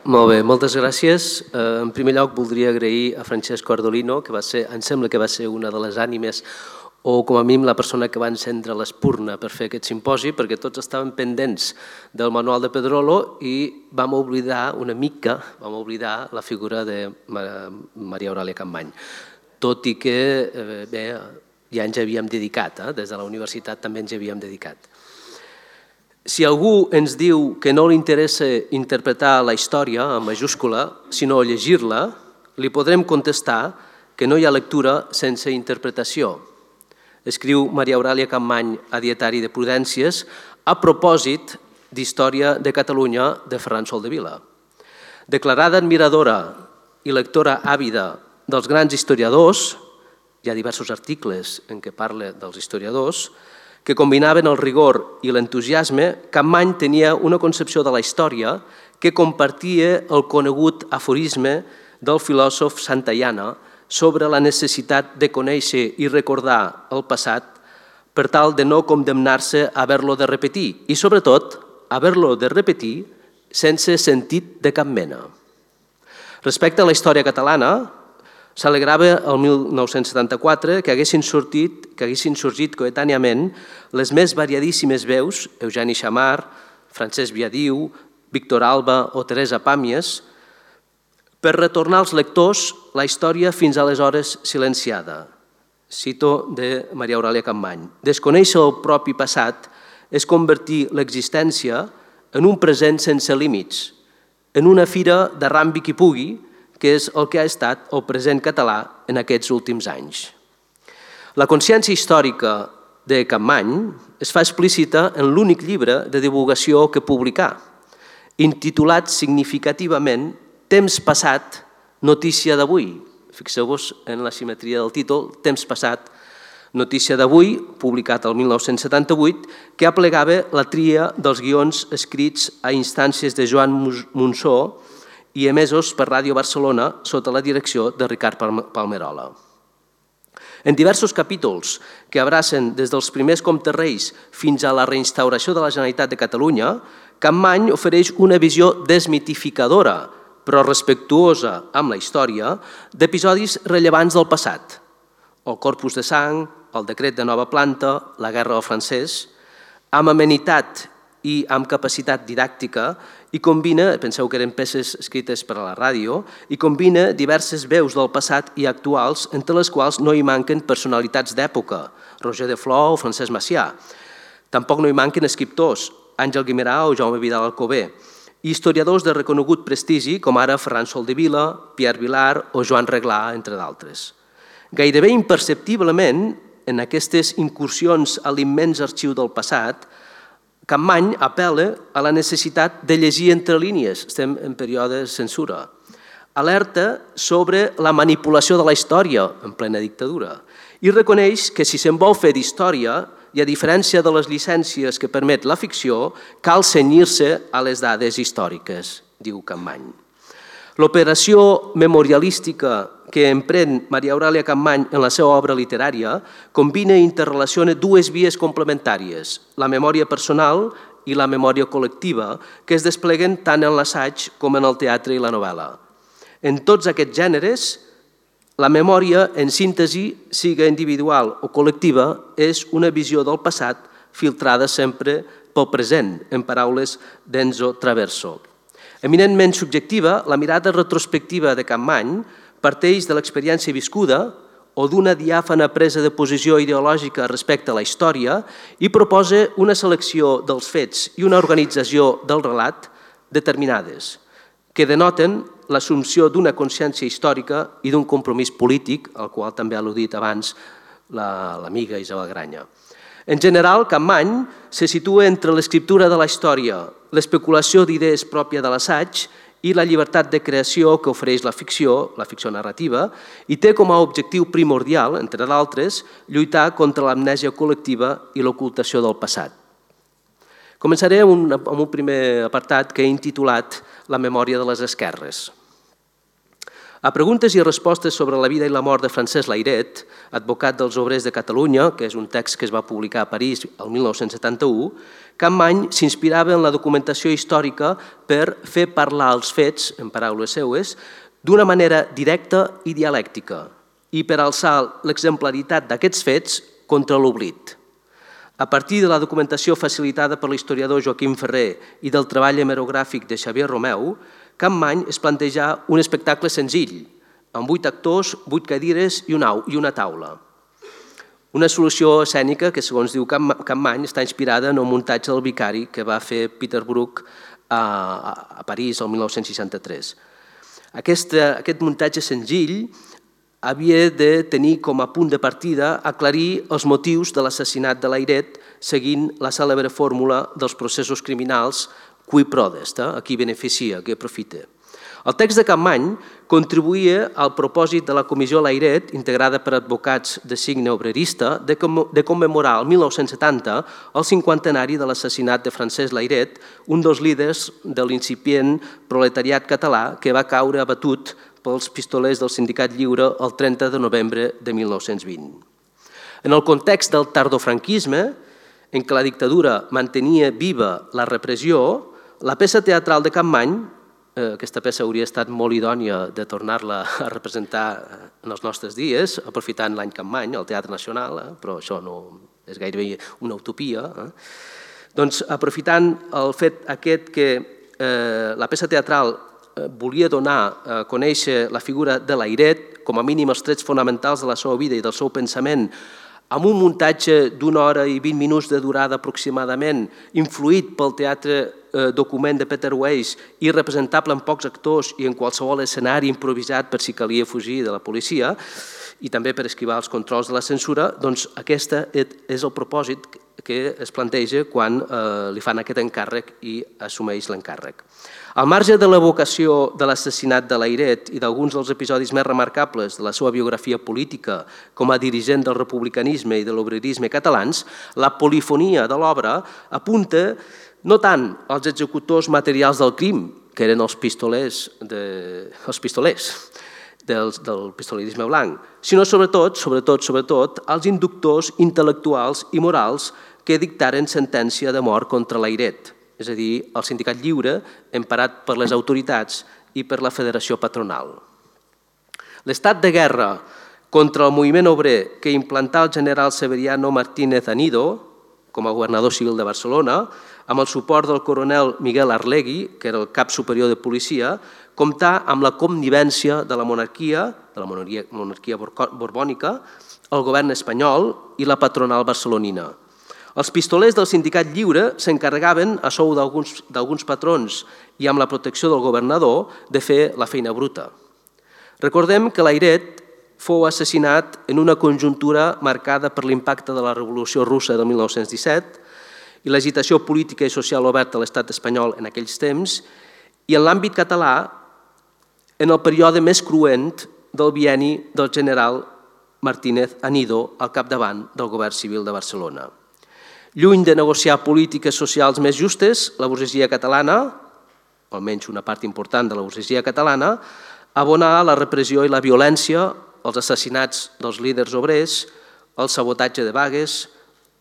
Molt bé, moltes gràcies. En primer lloc voldria agrair a Francesco Ardolino, que em sembla que va ser una de les ànimes o com a mínim la persona que va encendre l'espurna per fer aquest simposi, perquè tots estaven pendents del manual de Pedrolo i vam oblidar una mica, la figura de Maria Aurèlia Capmany, tot i que ja ens havíem dedicat, des de la universitat també ens havíem dedicat. Si algú ens diu que no li interessa interpretar la història en majúscula, sinó llegir-la, li podrem contestar que no hi ha lectura sense interpretació. Escriu Maria Aurèlia Capmany a Dietari de Prudències a propòsit d'Història de Catalunya de Ferran Soldevila. Declarada admiradora i lectora àvida dels grans historiadors, hi ha diversos articles en què parla dels historiadors, que combinaven el rigor i l'entusiasme, Capmany tenia una concepció de la història que compartia el conegut aforisme del filòsof Santayana sobre la necessitat de conèixer i recordar el passat per tal de no condemnar-se a haver-lo de repetir i, sobretot, haver-lo de repetir sense sentit de cap mena. Respecte a la història catalana, s'alegrava el 1974 que haguessin sorgit coetàniament les més variadíssimes veus, Eugeni Xammar, Francesc Viadiu, Víctor Alba o Teresa Pàmies, per retornar als lectors la història fins aleshores silenciada. Cito de Maria Aurèlia Capmany. Desconèixer el propi passat és convertir l'existència en un present sense límits, en una fira de rambi qui pugui, que és el que ha estat el present català en aquests últims anys. La consciència històrica de Capmany es fa explícita en l'únic llibre de divulgació que publicà, intitulat significativament Temps passat, notícia d'avui. Fixeu-vos en la simetria del títol, Temps passat, notícia d'avui, publicat el 1978, que aplegava la tria dels guions escrits a instàncies de Joan Monsó i emesos per Ràdio Barcelona sota la direcció de Ricard Palmerola. En diversos capítols que abracen des dels primers comtes reis fins a la reinstauració de la Generalitat de Catalunya, Capmany ofereix una visió desmitificadora, però respectuosa amb la història, d'episodis rellevants del passat. El Corpus de Sang, el decret de nova planta, la Guerra del Francès, amb amenitat i amb capacitat didàctica, i combina, penseu que eren peces escrites per a la ràdio, i combina diverses veus del passat i actuals, entre les quals no hi manquen personalitats d'època, Roger de Flor o Francesc Macià. Tampoc no hi manquen escriptors, Àngel Guimerà o Jaume Vidal Alcover, i historiadors de reconegut prestigi, com ara Ferran Soldevila, Pierre Vilar o Joan Reglà, entre d'altres. Gairebé imperceptiblement, en aquestes incursions a l'immens arxiu del passat, Capmany apel·la a la necessitat de llegir entre línies, estem en període de censura. Alerta sobre la manipulació de la història en plena dictadura i reconeix que si se'n vol fer d'història, i a diferència de les llicències que permet la ficció, cal cenyir-se a les dades històriques, diu Capmany. L'operació memorialística que emprèn Maria Aurèlia Capmany en la seva obra literària combina i interrelaciona dues vies complementàries, la memòria personal i la memòria col·lectiva, que es despleguen tant en l'assaig com en el teatre i la novel·la. En tots aquests gèneres, la memòria, en síntesi, siga individual o col·lectiva, és una visió del passat filtrada sempre pel present, en paraules d'Enzo Traverso. Eminentment subjectiva, la mirada retrospectiva de Capmany parteix de l'experiència viscuda o d'una diàfana presa de posició ideològica respecte a la història i proposa una selecció dels fets i una organització del relat determinades, que denoten l'assumpció d'una consciència històrica i d'un compromís polític, al qual també ha al·ludit abans l'amiga Isabel Granya. En general, Capmany se situa entre l'escriptura de la història, l'especulació d'idees pròpia de l'assaig i la llibertat de creació que ofereix la ficció narrativa, i té com a objectiu primordial, entre d'altres, lluitar contra l'amnèsia col·lectiva i l'ocultació del passat. Començaré amb un primer apartat que he intitulat La memòria de les esquerres. A preguntes i respostes sobre la vida i la mort de Francesc Layret, advocat dels obrers de Catalunya, que és un text que es va publicar a París el 1971, Capmany s'inspirava en la documentació històrica per fer parlar els fets, en paraules seues, d'una manera directa i dialèctica i per alçar l'exemplaritat d'aquests fets contra l'oblit. A partir de la documentació facilitada per l'historiador Joaquim Ferrer i del treball hemerogràfic de Xavier Romeu, Capmany es planteja un espectacle senzill, amb 8 actors, 8 cadires i una taula. Una solució escènica que, segons diu Capmany, està inspirada en el muntatge del Vicari que va fer Peter Brook a París el 1963. Aquest muntatge senzill havia de tenir com a punt de partida aclarir els motius de l'assassinat de Layret seguint la cèlebre fórmula dels processos criminals qui prodest, a qui beneficia, a qui aprofita. El text de Capmany contribuïa al propòsit de la Comissió Layret, integrada per advocats de signe obrerista, de commemorar el 1970 el cinquantenari de l'assassinat de Francesc Layret, un dels líders de l'incipient proletariat català que va caure abatut pels pistolers del Sindicat Lliure el 30 de novembre de 1920. En el context del tardofranquisme, en què la dictadura mantenia viva la repressió, la peça teatral de Capmany, aquesta peça hauria estat molt idònia de tornar-la a representar en els nostres dies, aprofitant l'any Capmany, al Teatre Nacional, però això no és gairebé una utopia. Doncs aprofitant el fet aquest que la peça teatral volia donar a conèixer la figura de Layret, com a mínim els trets fonamentals de la seva vida i del seu pensament, amb un muntatge d'una hora i 20 minuts de durada aproximadament, influït pel teatre document de Peter Weiss i representable en pocs actors i en qualsevol escenari improvisat per si calia fugir de la policia i també per esquivar els controls de la censura, doncs aquest és el propòsit que es planteja quan li fan aquest encàrrec i assumeix l'encàrrec. Al marge de l'evocació de l'assassinat de Layret i d'alguns dels episodis més remarcables de la seva biografia política com a dirigent del republicanisme i de l'obrerisme catalans, la polifonia de l'obra apunta no tant als executors materials del crim, que eren els pistolers del pistolerisme blanc, sinó sobretot als inductors intel·lectuals i morals que dictaren sentència de mort contra Layret, és a dir, el Sindicat Lliure, emparat per les autoritats i per la Federació Patronal. L'estat de guerra contra el moviment obrer que implantà el general Severiano Martínez Anido, com a governador civil de Barcelona, amb el suport del coronel Miguel Arlegui, que era el cap superior de policia, comptà amb la connivència de la monarquia borbònica, el govern espanyol i la patronal barcelonina. Els pistolers del Sindicat Lliure s'encarregaven, a sou d'alguns patrons i amb la protecció del governador, de fer la feina bruta. Recordem que Layret fou assassinat en una conjuntura marcada per l'impacte de la Revolució Russa del 1917 i l'agitació política i social oberta a l'estat espanyol en aquells temps i en l'àmbit català en el període més cruent del bienni del general Martínez Anido al capdavant del govern civil de Barcelona. Lluny de negociar polítiques socials més justes, la burgesia catalana, almenys una part important de la burgesia catalana, abonà la repressió i la violència, els assassinats dels líders obrers, el sabotatge de vagues,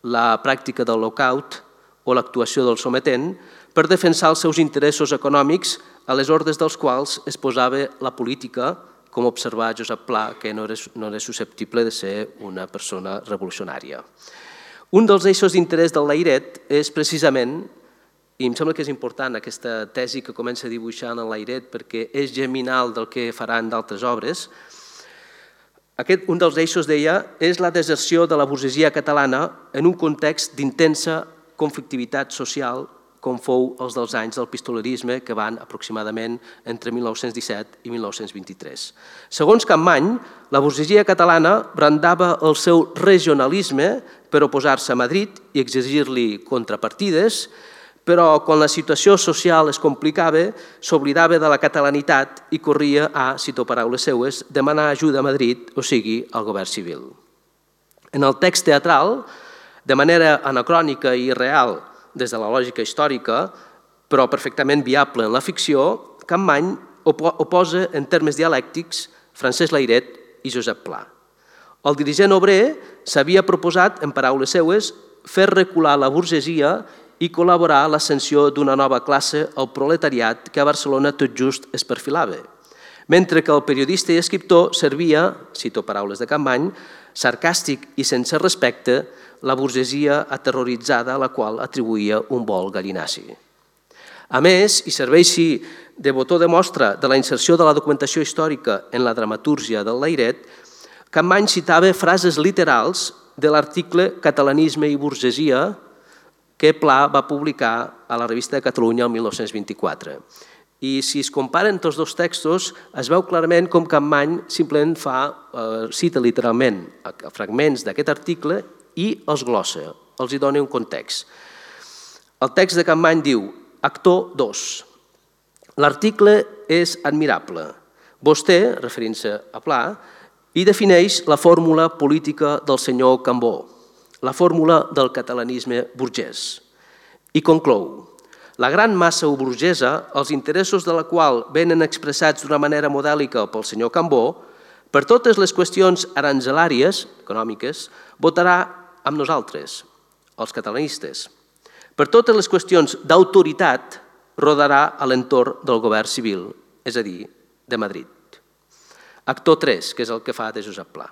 la pràctica del lockout o l'actuació del sometent per defensar els seus interessos econòmics a les ordres dels quals es posava la política, com observà Josep Pla, que no era susceptible de ser una persona revolucionària. Un dels eixos d'interès del Layret és precisament, i em sembla que és important aquesta tesi que comença a dibuixar en el Layret perquè és geminal del que faran d'altres obres, un dels eixos, deia, és la deserció de la burgesia catalana en un context d'intensa conflictivitat social com fou els dels anys del pistolerisme que van aproximadament entre 1917 i 1923. Segons Capmany, la burgesia catalana brandava el seu regionalisme per oposar-se a Madrid i exigir-li contrapartides, però quan la situació social es complicava, s'oblidava de la catalanitat i corria a, cito paraules seues, demanar ajuda a Madrid, o sigui, al govern civil. En el text teatral, de manera anacrònica i irreal des de la lògica històrica, però perfectament viable en la ficció, Capmany oposa en termes dialèctics Francesc Layret i Josep Pla. El dirigent obrer s'havia proposat, en paraules seues, fer recular la burgesia i col·laborar a l'ascensió d'una nova classe, el proletariat, que a Barcelona tot just es perfilava. Mentre que el periodista i escriptor servia, cito paraules de Campmany, sarcàstic i sense respecte, la burgesia aterroritzada a la qual atribuïa un vol gallinaci. A més, i serveixi de botó de mostra de la inserció de la documentació històrica en la dramatúrgia del Layret, Campmany citava frases literals de l'article Catalanisme i burgesia que Pla va publicar a la Revista de Catalunya el 1924. I si es comparen tots dos textos, es veu clarament com Campmany simplement cita literalment fragments d'aquest article i els glossa, els hi dona un context. El text de Campmany diu, actor 2, l'article és admirable. Vostè, referint-se a Pla, hi defineix la fórmula política del senyor Cambó, la fórmula del catalanisme burgès. I conclou, la gran massa burgesa, els interessos de la qual venen expressats d'una manera modèlica pel senyor Cambó, per totes les qüestions aranzelàries, econòmiques, votarà amb nosaltres, els catalanistes. Per totes les qüestions d'autoritat, rodarà a l'entorn del govern civil, és a dir, de Madrid. Actor 3, que és el que fa de Josep Pla.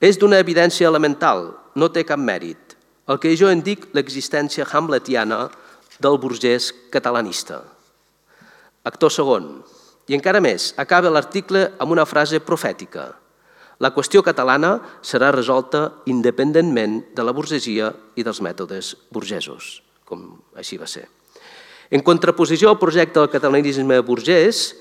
És d'una evidència elemental, no té cap mèrit. El que jo en dic l'existència hamletiana del burgès catalanista. Actor segon. I encara més, acaba l'article amb una frase profètica. La qüestió catalana serà resolta independentment de la burgesia i dels mètodes burgesos, com així va ser. En contraposició al projecte del catalanisme burgès,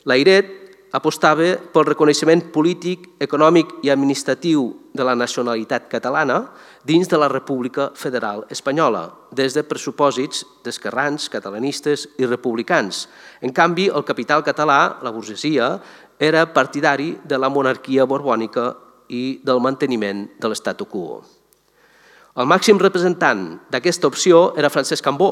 Layret apostava pel reconeixement polític, econòmic i administratiu de la nacionalitat catalana dins de la República Federal Espanyola, des de pressupòsits d'esquerrans, catalanistes i republicans. En canvi, el capital català, la burgesia, era partidari de la monarquia borbònica i del manteniment de l'statu quo. El màxim representant d'aquesta opció era Francesc Cambó,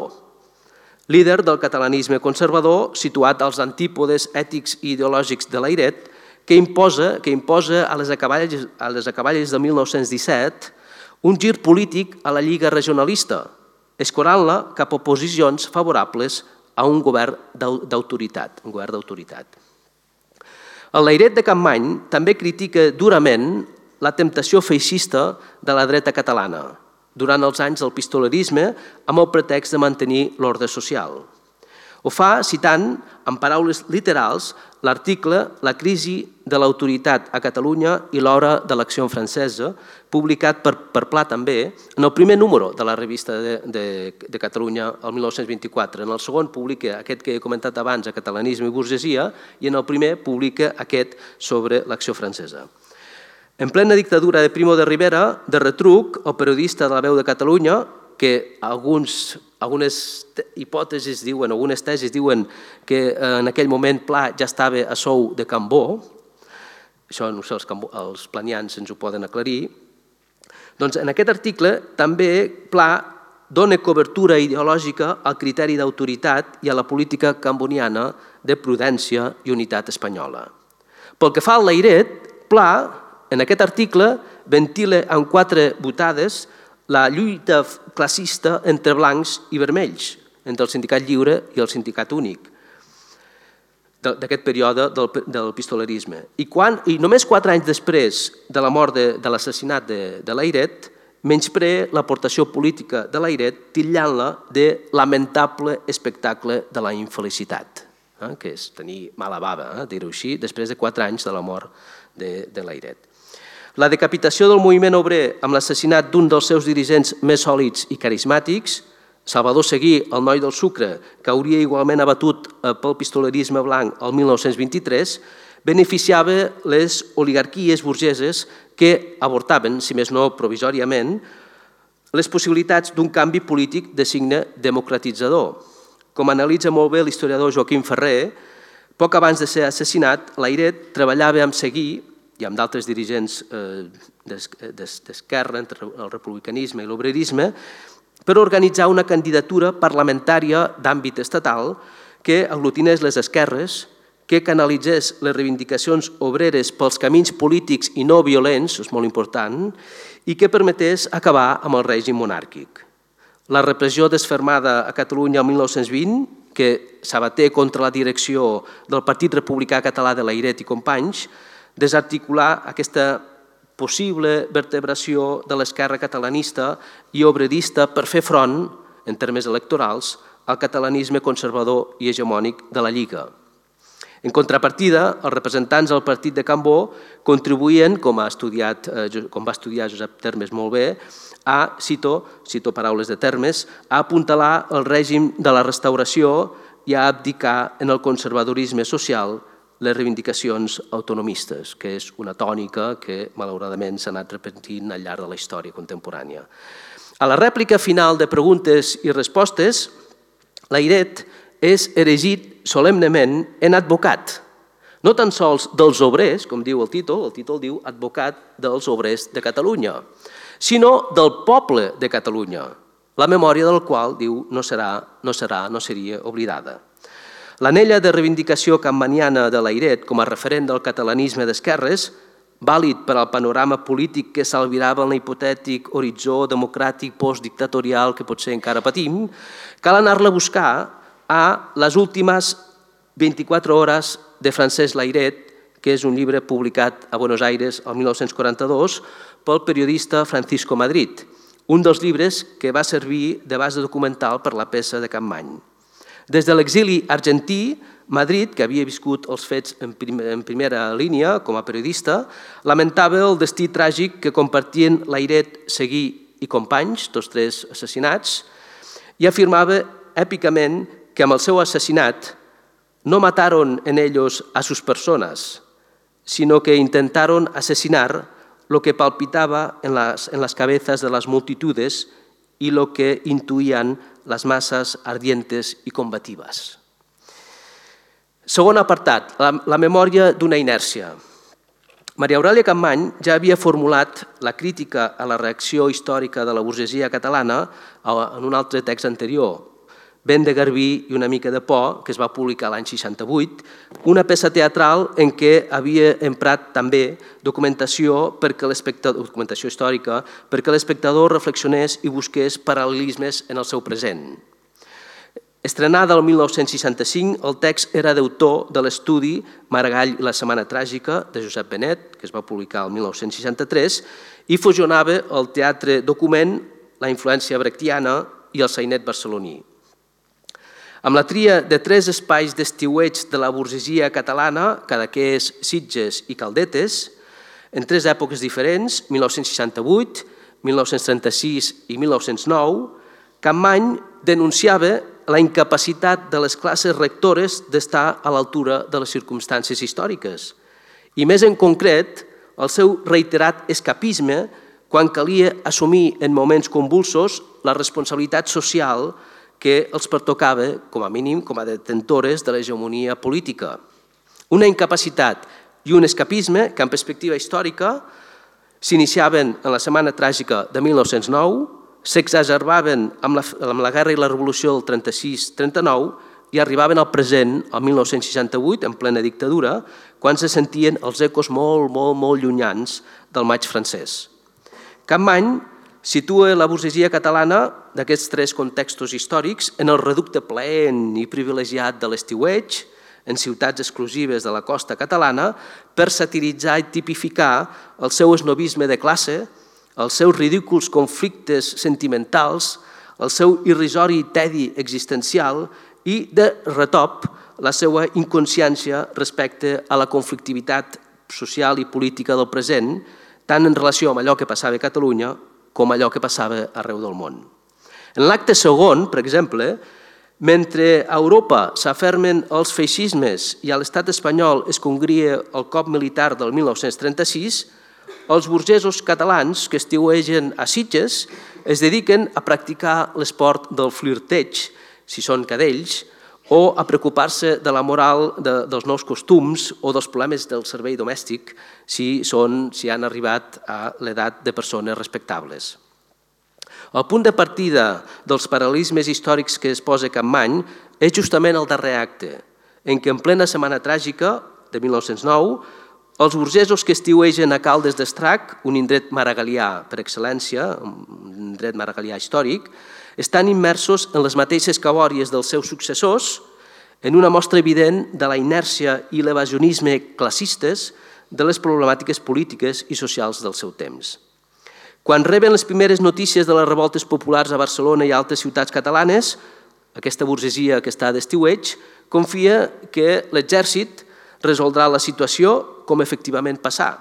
líder del catalanisme conservador situat als antípodes ètics i ideològics de Layret, que imposa a les acaballes de 1917 un gir polític a la Lliga Regionalista, escorant-la cap a posicions favorables a un govern d'autoritat. El Layret de Campmany també critica durament la temptació feixista de la dreta catalana durant els anys del pistolerisme amb el pretext de mantenir l'ordre social. Ho fa citant, en paraules literals, l'article La crisi de l'autoritat a Catalunya i l'hora de l'acció francesa, publicat per Pla també, en el primer número de la revista de Catalunya el 1924. En el segon publica aquest que he comentat abans, a Catalanisme i burgesia, i en el primer publica aquest sobre l'acció francesa. En plena dictadura de Primo de Rivera, de retruc, el periodista de La Veu de Catalunya, que algunes hipòtesis diuen, algunes tesis diuen que en aquell moment Pla ja estava a sou de Cambó, això no sé, els planians ens ho poden aclarir, doncs en aquest article també Pla dona cobertura ideològica al criteri d'autoritat i a la política camboniana de prudència i unitat espanyola. Pel que fa al Layret, Pla, en aquest article, ventila en 4 botades la lluita classista entre blancs i vermells, entre el sindicat lliure i el sindicat únic, d'aquest període del pistolerisme. I només 4 anys després de la mort de l'assassinat de Layret, menysprea l'aportació política de Layret titllant-la de lamentable espectacle de la infelicitat, que és tenir mala bava, dir-ho així, després de 4 anys de la mort de Layret. La decapitació del moviment obrer amb l'assassinat d'un dels seus dirigents més sòlids i carismàtics, Salvador Seguí, el noi del sucre, que hauria igualment abatut pel pistolerisme blanc el 1923, beneficiava les oligarquies burgeses que avortaven, si més no provisòriament, les possibilitats d'un canvi polític de signe democratitzador. Com analitza molt bé l'historiador Joaquim Ferrer, poc abans de ser assassinat, Layret treballava amb Seguí i amb d'altres dirigents d'esquerra, entre el republicanisme i l'obrerisme, per organitzar una candidatura parlamentària d'àmbit estatal que aglutinés les esquerres, que canalitzés les reivindicacions obreres pels camins polítics i no violents, és molt important, i que permetés acabar amb el règim monàrquic. la repressió desfermada a Catalunya el 1920, que s'abaté contra la direcció del Partit Republicà Català de Layret i companys, desarticular aquesta possible vertebració de l'esquerra catalanista i obredista per fer front, en termes electorals, al catalanisme conservador i hegemònic de la Lliga. En contrapartida, els representants del partit de Cambó contribuïen, com va estudiar Josep Termes molt bé, cito paraules de Termes, a apuntalar el règim de la restauració i a abdicar en el conservadorisme social les reivindicacions autonomistes, que és una tònica que malauradament s'ha anat repetint al llarg de la història contemporània. A la rèplica final de preguntes i respostes, Layret és erigit solemnement en advocat, no tan sols dels obrers, com diu el títol diu advocat dels obrers de Catalunya, sinó del poble de Catalunya, la memòria del qual, diu, no seria oblidada. L'anella de reivindicació campaniana de Layret com a referent del catalanisme d'esquerres, vàlid per al panorama polític que s'albirava en l'hipotètic horitzó democràtic postdictatorial que potser encara patim, cal anar-la a buscar a les últimes 24 hores de Francesc Layret, que és un llibre publicat a Buenos Aires el 1942 pel periodista Francisco Madrid, un dels llibres que va servir de base documental per la peça de Capmany. Des de l'exili argentí, Madrid, que havia viscut els fets en primera línia com a periodista, lamentava el destí tràgic que compartien Layret, Seguí i companys, tots tres assassinats, i afirmava èpicament que amb el seu assassinat no mataron en ellos a sus personas, sino que intentaron asesinar lo que palpitaba en las cabezas de las multitudes y lo que intuían las masas ardientes y combativas. Segon apartat, la memòria d'una inèrcia. Maria Aurèlia Capmany ja havia formulat la crítica a la reacció històrica de la burgesia catalana en un altre text anterior, Vent de Garbí i una mica de por, que es va publicar l'any 68, una peça teatral en què havia emprat també documentació històrica perquè l'espectador reflexionés i busqués paral·lelismes en el seu present. Estrenada el 1965, el text era d'autor de l'estudi Maragall i la setmana tràgica de Josep Benet, que es va publicar el 1963, i fusionava el teatre document, la influència brechtiana i el sainet barceloní. Amb la tria de tres espais d'estiueig de la burgesia catalana, Cadaqués, Sitges i Caldetes, en tres èpoques diferents, 1968, 1936 i 1909, Capmany denunciava la incapacitat de les classes rectores d'estar a l'altura de les circumstàncies històriques i, més en concret, el seu reiterat escapisme quan calia assumir en moments convulsos la responsabilitat social que els pertocava, com a mínim, com a detentores de l'hegemonia política. Una incapacitat i un escapisme que, en perspectiva històrica, s'iniciaven en la Setmana Tràgica de 1909, s'exagerbaven amb la guerra i la revolució del 36-39 i arribaven al present, el 1968, en plena dictadura, quan se sentien els ecos molt llunyans del maig francès. Capmany situa la burgesia catalana d'aquests tres contextos històrics en el reducte plaent i privilegiat de l'estiueig, en ciutats exclusives de la costa catalana, per satiritzar i tipificar el seu esnobisme de classe, els seus ridículs conflictes sentimentals, el seu irrisori tedi existencial i, de retop, la seva inconsciència respecte a la conflictivitat social i política del present, tant en relació amb allò que passava a Catalunya com allò que passava arreu del món. En l'acte segon, per exemple, mentre a Europa s'afermen els feixismes i a l'estat espanyol es congria el cop militar del 1936, els burgesos catalans que estiuegen a Sitges es dediquen a practicar l'esport del flirteig, si són cadells, o a preocupar-se de la moral dels nous costums o dels problemes del servei domèstic si han arribat a l'edat de persones respectables. El punt de partida dels paral·lelismes històrics que es posa Capmany és justament el darrer acte, en què en plena Setmana Tràgica de 1909 els burgesos que estiuegen a Caldes d'Estrac, un indret maragalià per excel·lència, un indret maragalià històric, estan immersos en les mateixes cabòries dels seus successors, en una mostra evident de la inèrcia i l'evasionisme classistes de les problemàtiques polítiques i socials del seu temps. Quan reben les primeres notícies de les revoltes populars a Barcelona i altres ciutats catalanes, aquesta burgesia que està d'estiueig confia que l'exèrcit resoldrà la situació com efectivament passà.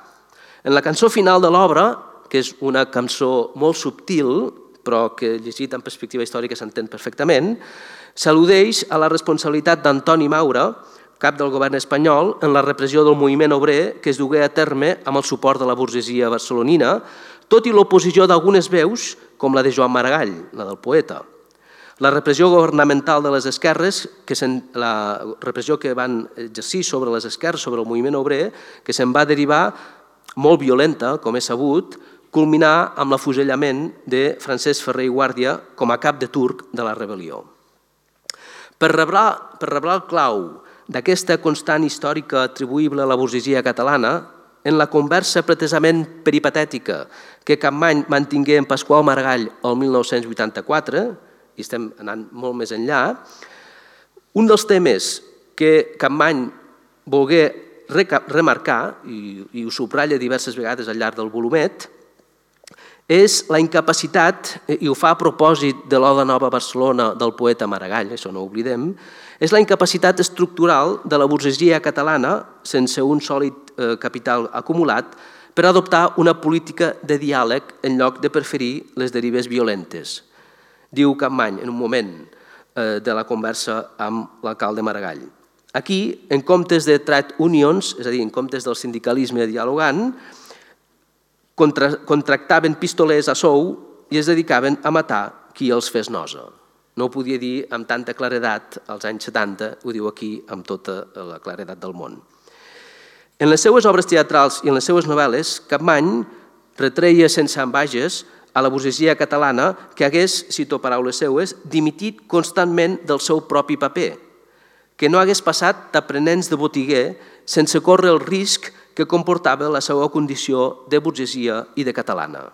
En la cançó final de l'obra, que és una cançó molt subtil, però que llegit en perspectiva històrica s'entén perfectament, s'al·ludeix a la responsabilitat d'Antoni Maura, cap del govern espanyol, en la repressió del moviment obrer que es dugué a terme amb el suport de la burgesia barcelonina, tot i l'oposició d'algunes veus, com la de Joan Maragall, la del poeta. La repressió governamental de les esquerres, la repressió que van exercir sobre les esquerres, sobre el moviment obrer, que se'n va derivar molt violenta, com és sabut, culminar amb l'afusellament de Francesc Ferrer i Guàrdia com a cap de turc de la rebel·lió. Per reblar el clau d'aquesta constant històrica atribuïble a la burgesia catalana, en la conversa pretesament peripatètica que Capmany mantingué amb Pasqual Maragall el 1984, i estem anant molt més enllà, un dels temes que Capmany volgué remarcar, i ho subratlla diverses vegades al llarg del volumet, és la incapacitat, i ho fa a propòsit de l'Oda Nova Barcelona del poeta Maragall, això no ho oblidem, és la incapacitat estructural de la burgesia catalana, sense un sòlid capital acumulat, per adoptar una política de diàleg en lloc de preferir les derives violentes. Diu Capmany en un moment de la conversa amb l'alcalde Maragall. Aquí, en comptes de trade unions, és a dir, en comptes del sindicalisme dialogant, contractaven pistolers a sou i es dedicaven a matar qui els fes nosa. No ho podia dir amb tanta claredat als anys 70, ho diu aquí amb tota la claredat del món. En les seues obres teatrals i en les seues novel·les, Capmany retreia sense ambages a la burgesia catalana que hagués, cito paraules seues, dimitit constantment del seu propi paper, que no hagués passat d'aprenents de botiguer sense córrer el risc que comportava la seva condició de burgesia i de catalana.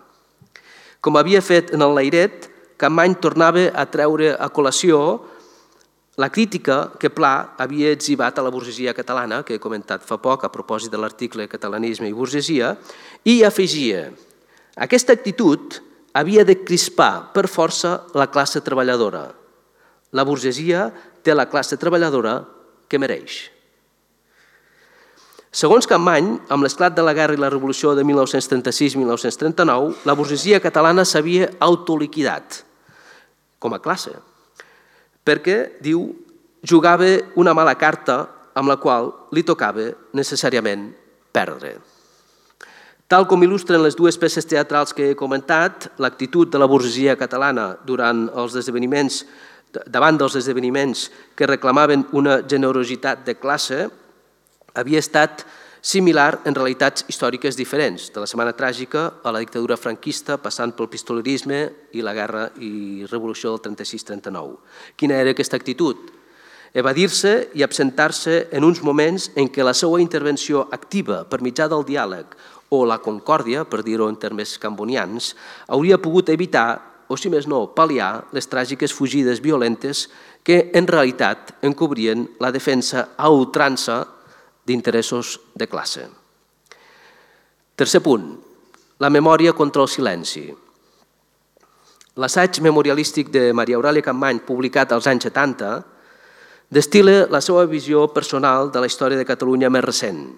Com havia fet en el Lairet, Capmany tornava a treure a col·lació la crítica que Pla havia etzibat a la burgesia catalana, que he comentat fa poc a propòsit de l'article Catalanisme i burgesia, i afegia: aquesta actitud havia de crispar per força la classe treballadora. La burgesia té la classe treballadora que mereix. Segons Capmany, amb l'esclat de la guerra i la revolució de 1936-1939, la burgesia catalana s'havia autoliquidat com a classe, perquè, diu, jugava una mala carta amb la qual li tocava necessàriament perdre. Tal com il·lustren les dues peces teatrals que he comentat, l'actitud de la burgesia catalana davant dels esdeveniments que reclamaven una generositat de classe havia estat similar en realitats històriques diferents, de la Setmana Tràgica a la dictadura franquista, passant pel pistolerisme i la guerra i revolució del 36-39. Quina era aquesta actitud? Evadir-se i absentar-se en uns moments en què la seva intervenció activa per mitjà del diàleg o la concòrdia, per dir-ho en termes cambonians, hauria pogut evitar, o si més no, pal·liar les tràgiques fugides violentes que en realitat encobrien la defensa a ultrança d'interessos de classe. Tercer punt, la memòria contra el silenci. L'assaig memorialístic de Maria Aurèlia Capmany, publicat als anys 70, destil·la la seva visió personal de la història de Catalunya més recent.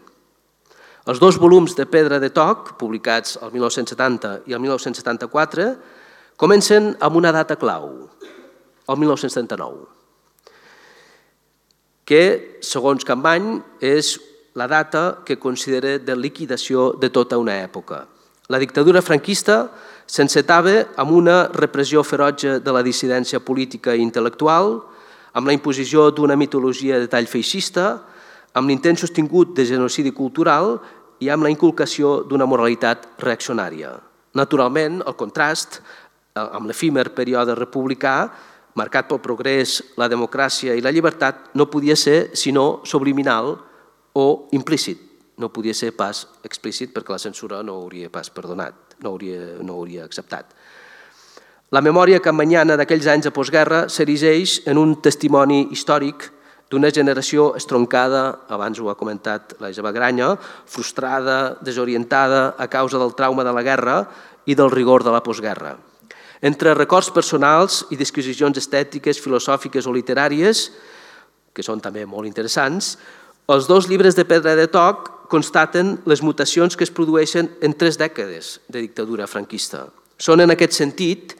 Els dos volums de Pedra de Toc, publicats el 1970 i el 1974, comencen amb una data clau, el 1979, que, segons Capmany, és la data que considera de liquidació de tota una època. La dictadura franquista s'encetava amb una repressió ferotge de la dissidència política i intel·lectual, amb la imposició d'una mitologia de tall feixista, amb l'intent sostingut de genocidi cultural i amb la inculcació d'una moralitat reaccionària. Naturalment, el contrast amb l'efímer període republicà, marcat pel progrés, la democràcia i la llibertat, no podia ser sinó subliminal o implícit. no podia ser pas explícit perquè la censura no ho hauria pas perdonat, no ho hauria acceptat. La memòria campanyana d'aquells anys de postguerra s'erigeix en un testimoni històric d'una generació estroncada, abans ho ha comentat la Isabel Granya, frustrada, desorientada a causa del trauma de la guerra i del rigor de la postguerra. Entre records personals i disquisicions estètiques, filosòfiques o literàries, que són també molt interessants, els dos llibres de Pedra de Toc constaten les mutacions que es produeixen en 3 dècades de dictadura franquista. Són en aquest sentit,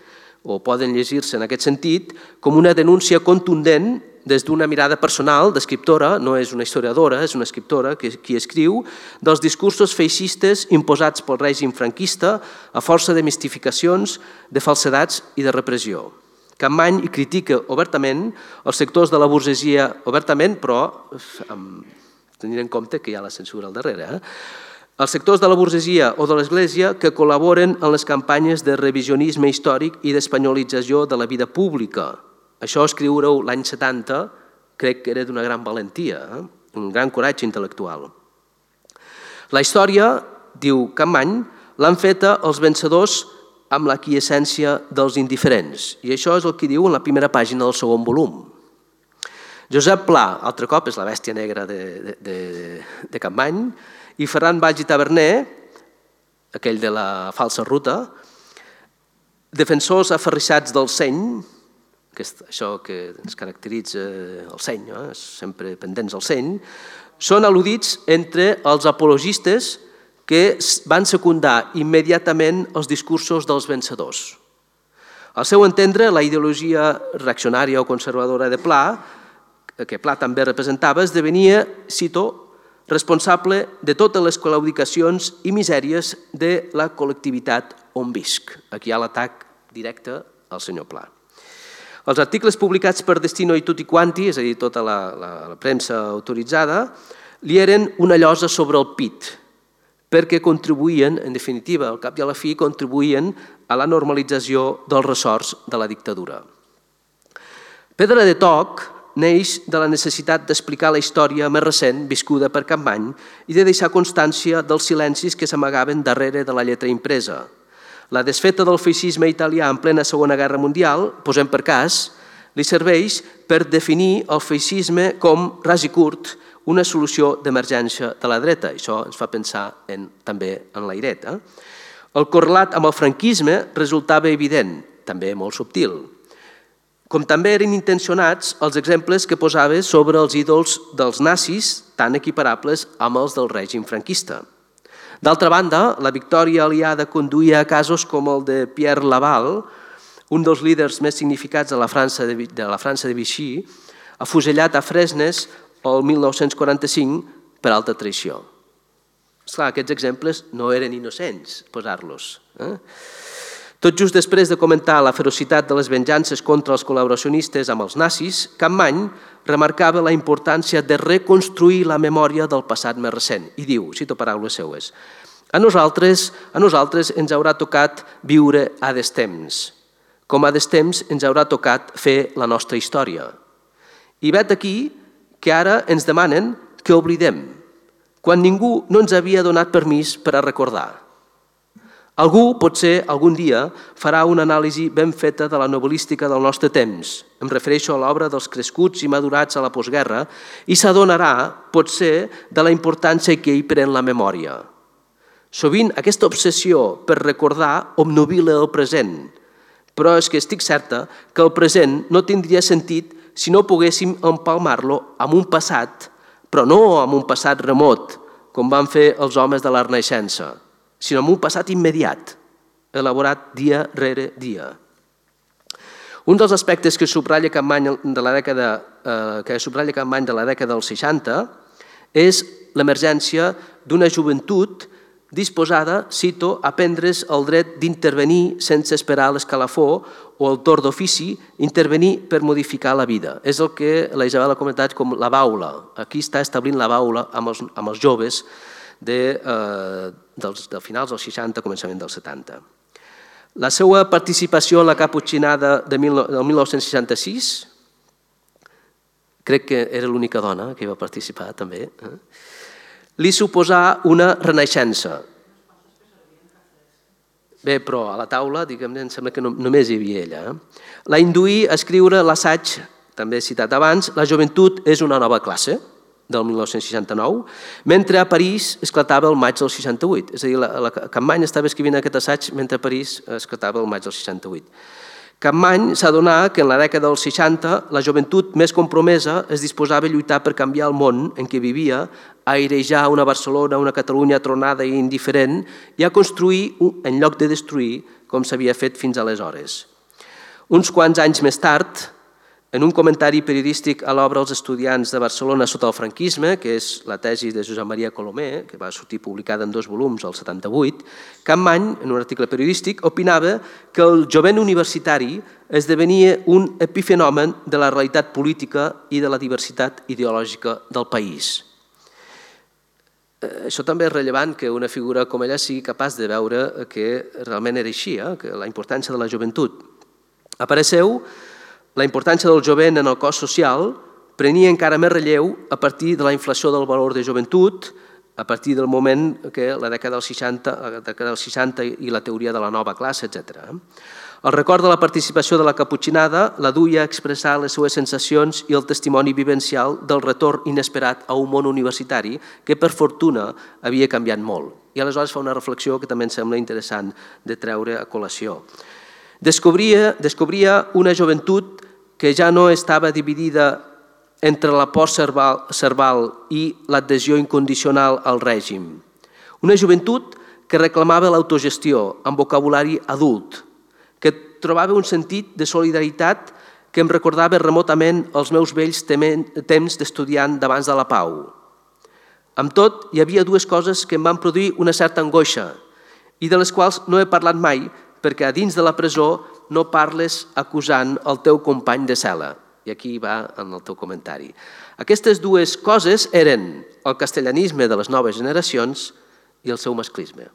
o poden llegir-se en aquest sentit, com una denúncia contundent des d'una mirada personal d'escriptora, no és una historiadora, és una escriptora qui escriu, dels discursos feixistes imposats pel règim franquista a força de mistificacions, de falsedats i de repressió. Capmany hi critica obertament els sectors de la burgesia, obertament, però tenint en compte que hi ha la censura al darrere, els sectors de la burgesia o de l'Església que col·laboren en les campanyes de revisionisme històric i d'espanyolització de la vida pública. Això, escriure-ho l'any 70, crec que era d'una gran valentia, un gran coratge intel·lectual. La història, diu Capmany, l'han feta els vencedors amb la quiescència dels indiferents. I això és el que diu en la primera pàgina del segon volum. Josep Pla, altre cop, és la bèstia negra de Capmany, i Ferran Valls i Taverner, aquell de la falsa ruta, defensors aferrissats del seny, això que ens caracteritza el seny, sempre pendents del seny, són al·ludits entre els apologistes que van secundar immediatament els discursos dels vencedors. Al seu entendre, la ideologia reaccionària o conservadora de Pla, que Pla també representava, esdevenia, cito, responsable de totes les claudicacions i misèries de la col·lectivitat on visc. Aquí hi ha l'atac directe al senyor Pla. Els articles publicats per Destino i Tutti Quanti, és a dir, tota la premsa autoritzada, li eren una llosa sobre el pit, perquè contribuïen, en definitiva, al cap i a la fi, contribuïen a la normalització dels ressorts de la dictadura. Pedra de Toc neix de la necessitat d'explicar la història més recent viscuda per Capmany i de deixar constància dels silencis que s'amagaven darrere de la lletra impresa. La desfeta del feixisme italià en plena Segona Guerra Mundial, posem per cas, li serveix per definir el feixisme com, ras i curt, una solució d'emergència de la dreta. Això ens fa pensar també en l'Airet. El correlat amb el franquisme resultava evident, també molt subtil. Com també eren intencionats els exemples que posava sobre els ídols dels nazis, tan equiparables amb els del règim franquista. D'altra banda, la victòria aliada conduïa a casos com el de Pierre Laval, un dels líders més significats de la França de Vichy, afusellat a Fresnes el 1945 per alta traïció. Esclar, aquests exemples no eren innocents, posar-los. Tot just després de comentar la ferocitat de les venjances contra els col·laboracionistes amb els nazis, Capmany remarcava la importància de reconstruir la memòria del passat més recent i diu, cito paraules seues, a nosaltres ens haurà tocat viure a destemps, com a destemps ens haurà tocat fer la nostra història. I vet aquí que ara ens demanen que oblidem, quan ningú no ens havia donat permís per a recordar. Algú, potser, algun dia, farà una anàlisi ben feta de la novel·lística del nostre temps. Em refereixo a l'obra dels crescuts i madurats a la postguerra i s'adonarà, potser, de la importància que hi pren la memòria. Sovint, aquesta obsessió per recordar obnubila el present, però és que estic certa que el present no tindria sentit si no poguéssim empalmar-lo amb un passat, però no amb un passat remot, com van fer els homes de la Renaixença, sinó amb un passat immediat, elaborat dia rere dia. Un dels aspectes que subratlla Capmany de la dècada dels 60 és l'emergència d'una joventut disposada, cito, a prendre's el dret d'intervenir sense esperar l'escalafó o el torn d'ofici, intervenir per modificar la vida. És el que la Isabel ha comentat com la baula. Aquí està establint la baula amb els joves de finals dels 60, començament dels 70. La seva participació en la caputxinada del 1966, crec que era l'única dona que hi va participar també, li suposà una renaixença. Bé, però a la taula, diguem-ne, em sembla que només hi havia ella. La induí a escriure l'assaig, també citat abans, La joventut és una nova classe, del 1969, mentre a París esclatava el maig del 68. És a dir, la Capmany estava escrivint aquest assaig mentre a París esclatava el maig del 68. Capmany s'adonà que en la dècada dels 60 la joventut més compromesa es disposava a lluitar per canviar el món en què vivia, a airejar una Barcelona, una Catalunya tronada i indiferent i a construir en lloc de destruir, com s'havia fet fins aleshores. Uns quants anys més tard, en un comentari periodístic a l'obra Els estudiants de Barcelona sota el franquisme, que és la tesi de Josep Maria Colomer, que va sortir publicada en 2 volums al 78, Capmany, en un article periodístic, opinava que el jovent universitari esdevenia un epifenomen de la realitat política i de la diversitat ideològica del país. Això també és rellevant que una figura com ella sigui capaç de veure que realment era així, que la importància de la joventut. A parer seu, la importància del jovent en el cos social prenia encara més relleu a partir de la inflació del valor de joventut, a partir del moment que la dècada dels 60 i la teoria de la nova classe, etc. El record de la participació de la caputxinada la duia a expressar les seues sensacions i el testimoni vivencial del retorn inesperat a un món universitari que, per fortuna, havia canviat molt. I aleshores fa una reflexió que també em sembla interessant de treure a col·lació. Descobria una joventut que ja no estava dividida entre la por serval i l'adhesió incondicional al règim. Una joventut que reclamava l'autogestió amb vocabulari adult, que trobava un sentit de solidaritat que em recordava remotament els meus vells temps d'estudiant d'abans de la pau. Amb tot, hi havia 2 coses que em van produir una certa angoixa i de les quals no he parlat mai perquè a dins de la presó no parles acusant el teu company de cel·la. I aquí va en el teu comentari. Aquestes 2 coses eren el castellanisme de les noves generacions i el seu masclisme.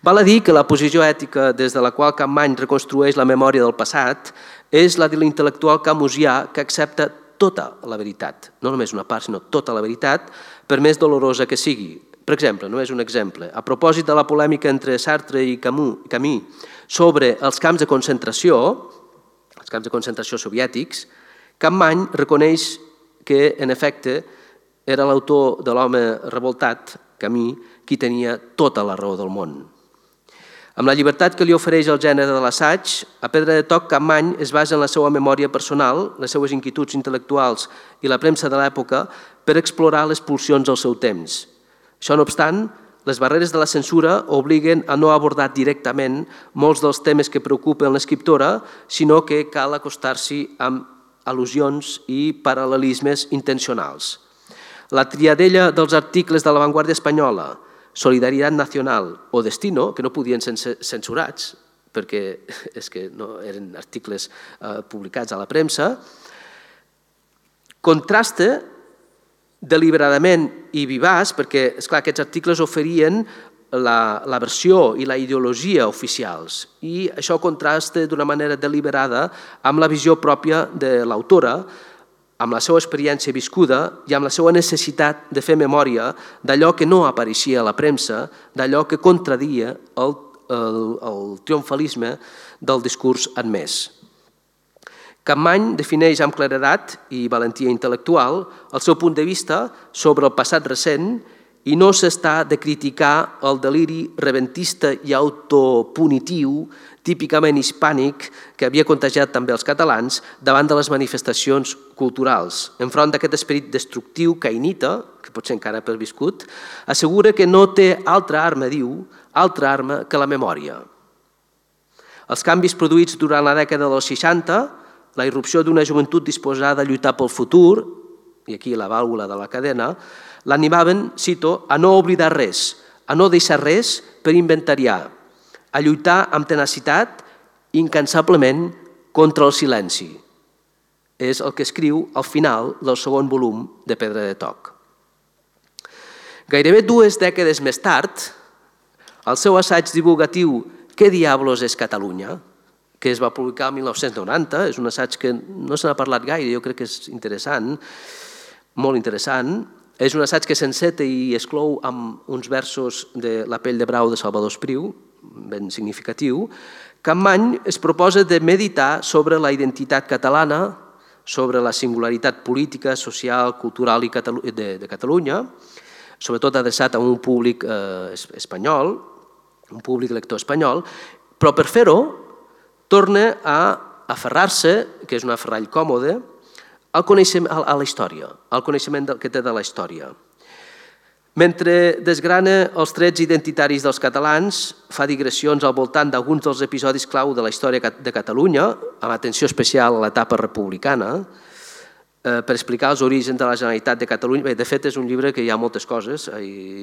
Val a dir que la posició ètica des de la qual Capmany reconstrueix la memòria del passat és la de l'intel·lectual camusià que accepta tota la veritat, no només una part, sinó tota la veritat, per més dolorosa que sigui. Per exemple, només un exemple, a propòsit de la polèmica entre Sartre i Camus sobre els camps de concentració soviètics, Capmany reconeix que, en efecte, era l'autor de l'home revoltat, Camus, qui tenia tota la raó del món. Amb la llibertat que li ofereix el gènere de l'assaig, a Pedra de Toc, Capmany es basa en la seva memòria personal, les seues inquietuds intel·lectuals i la premsa de l'època per explorar les pulsions del seu temps. Això no obstant, les barreres de la censura obliguen a no abordar directament molts dels temes que preocupen l'escriptora, sinó que cal acostar-s'hi amb al·lusions i paral·lelismes intencionals. La triadella dels articles de l'avantguàrdia espanyola, Solidaritat Nacional o Destino, que no podien ser censurats perquè és que no eren articles publicats a la premsa, contrasta deliberadament i vivaç, perquè esclar, aquests articles oferien la versió i la ideologia oficials i això contrasta d'una manera deliberada amb la visió pròpia de l'autora, amb la seva experiència viscuda i amb la seva necessitat de fer memòria d'allò que no apareixia a la premsa, d'allò que contradia el triomfalisme del discurs admès. Capmany defineix amb claredat i valentia intel·lectual el seu punt de vista sobre el passat recent i no s'està de criticar el deliri reventista i autopunitiu típicament hispànic que havia contagiat també els catalans davant de les manifestacions culturals. Enfront d'aquest esperit destructiu caïnita, que potser encara ha perviscut, assegura que no té altra arma, diu, altra arma que la memòria. Els canvis produïts durant la dècada dels 60, la irrupció d'una joventut disposada a lluitar pel futur, i aquí la vàlvula de la cadena, l'animaven, cito, a no oblidar res, a no deixar res per inventariar, a lluitar amb tenacitat incansablement contra el silenci. És el que escriu al final del segon volum de Pedra de Toc. Gairebé 2 dècades més tard, el seu assaig divulgatiu Què diablos és Catalunya?, que es va publicar el 1990, és un assaig que no se n'ha parlat gaire, jo crec que és interessant, molt interessant, És un assaig que s'enceta i exclou amb uns versos de La pell de brau de Salvador Espriu, ben significatiu. Capmany es proposa de meditar sobre la identitat catalana, sobre la singularitat política, social, cultural de Catalunya, sobretot adreçat a un públic espanyol, un públic lector espanyol, però per fer-ho torna a aferrar-se, que és un aferrall còmode, a la història, al coneixement que té de la història. Mentre desgrana els trets identitaris dels catalans, fa digressions al voltant d'alguns dels episodis clau de la història de Catalunya, amb atenció especial a l'etapa republicana, per explicar els orígens de la Generalitat de Catalunya. De fet, és un llibre que hi ha moltes coses,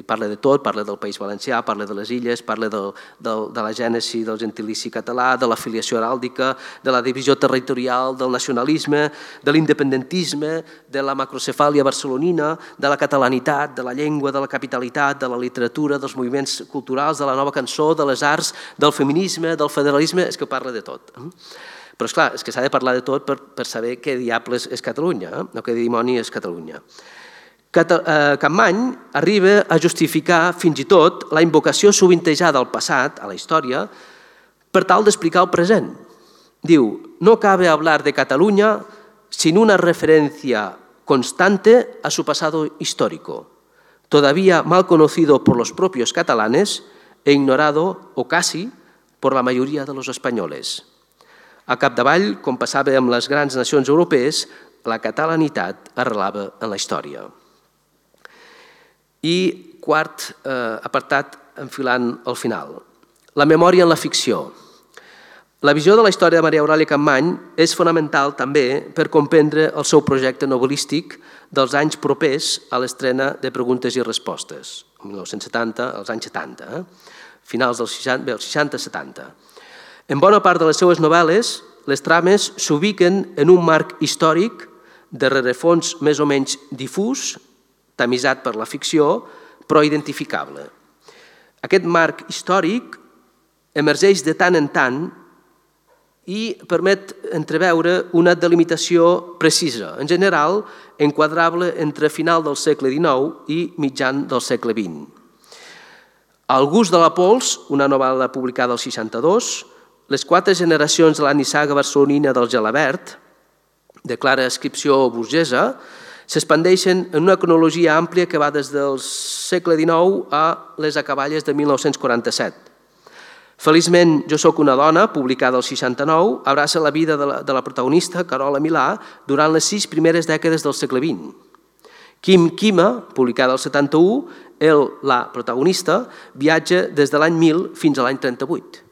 parla de tot, parla del País Valencià, parla de les illes, parla de la gènesi del gentilici català, de la filiació heràldica, de la divisió territorial, del nacionalisme, de l'independentisme, de la macrocefàlia barcelonina, de la catalanitat, de la llengua, de la capitalitat, de la literatura, dels moviments culturals, de la nova cançó, de les arts, del feminisme, del federalisme, és que parla de tot. Però, esclar, és que s'ha de parlar de tot per saber què diables és Catalunya, o què dimoni és Catalunya. Capmany arriba a justificar fins i tot la invocació sovintejada al passat, a la història, per tal d'explicar el present. Diu, no cabe hablar de Cataluña sin una referencia constante a su pasado histórico, todavía mal conocido por los propios catalanes e ignorado, o casi, por la mayoría de los españoles. A capdavall, com passava amb les grans nacions europees, la catalanitat arrelava en la història. I quart apartat, enfilant al final, la memòria en la ficció. La visió de la història de Maria Aurèlia Capmany és fonamental també per comprendre el seu projecte novel·lístic dels anys propers a l'estrena de Preguntes i Respostes, el 1970, als anys 70, finals dels 60-70. En bona part de les seues novel·les, les trames s'ubiquen en un marc històric de rerefons més o menys difús, tamisat per la ficció, però identificable. Aquest marc històric emergeix de tant en tant i permet entreveure una delimitació precisa, en general enquadrable entre final del segle XIX i mitjan del segle XX. El gust de la pols, una novel·la publicada al 62, les 4 generacions de la nissaga barcelonina del Gelabert, de clara ascripció burgesa, s'expandeixen en una cronologia àmplia que va des del segle XIX a les acaballes de 1947. Feliçment, Jo soc una dona, publicada al 69, abraça la vida de la protagonista, Carola Milà, durant les 6 primeres dècades del segle XX. Quim Quima, publicada al 71, la protagonista, viatja des de l'any 1000 fins a l'any 38.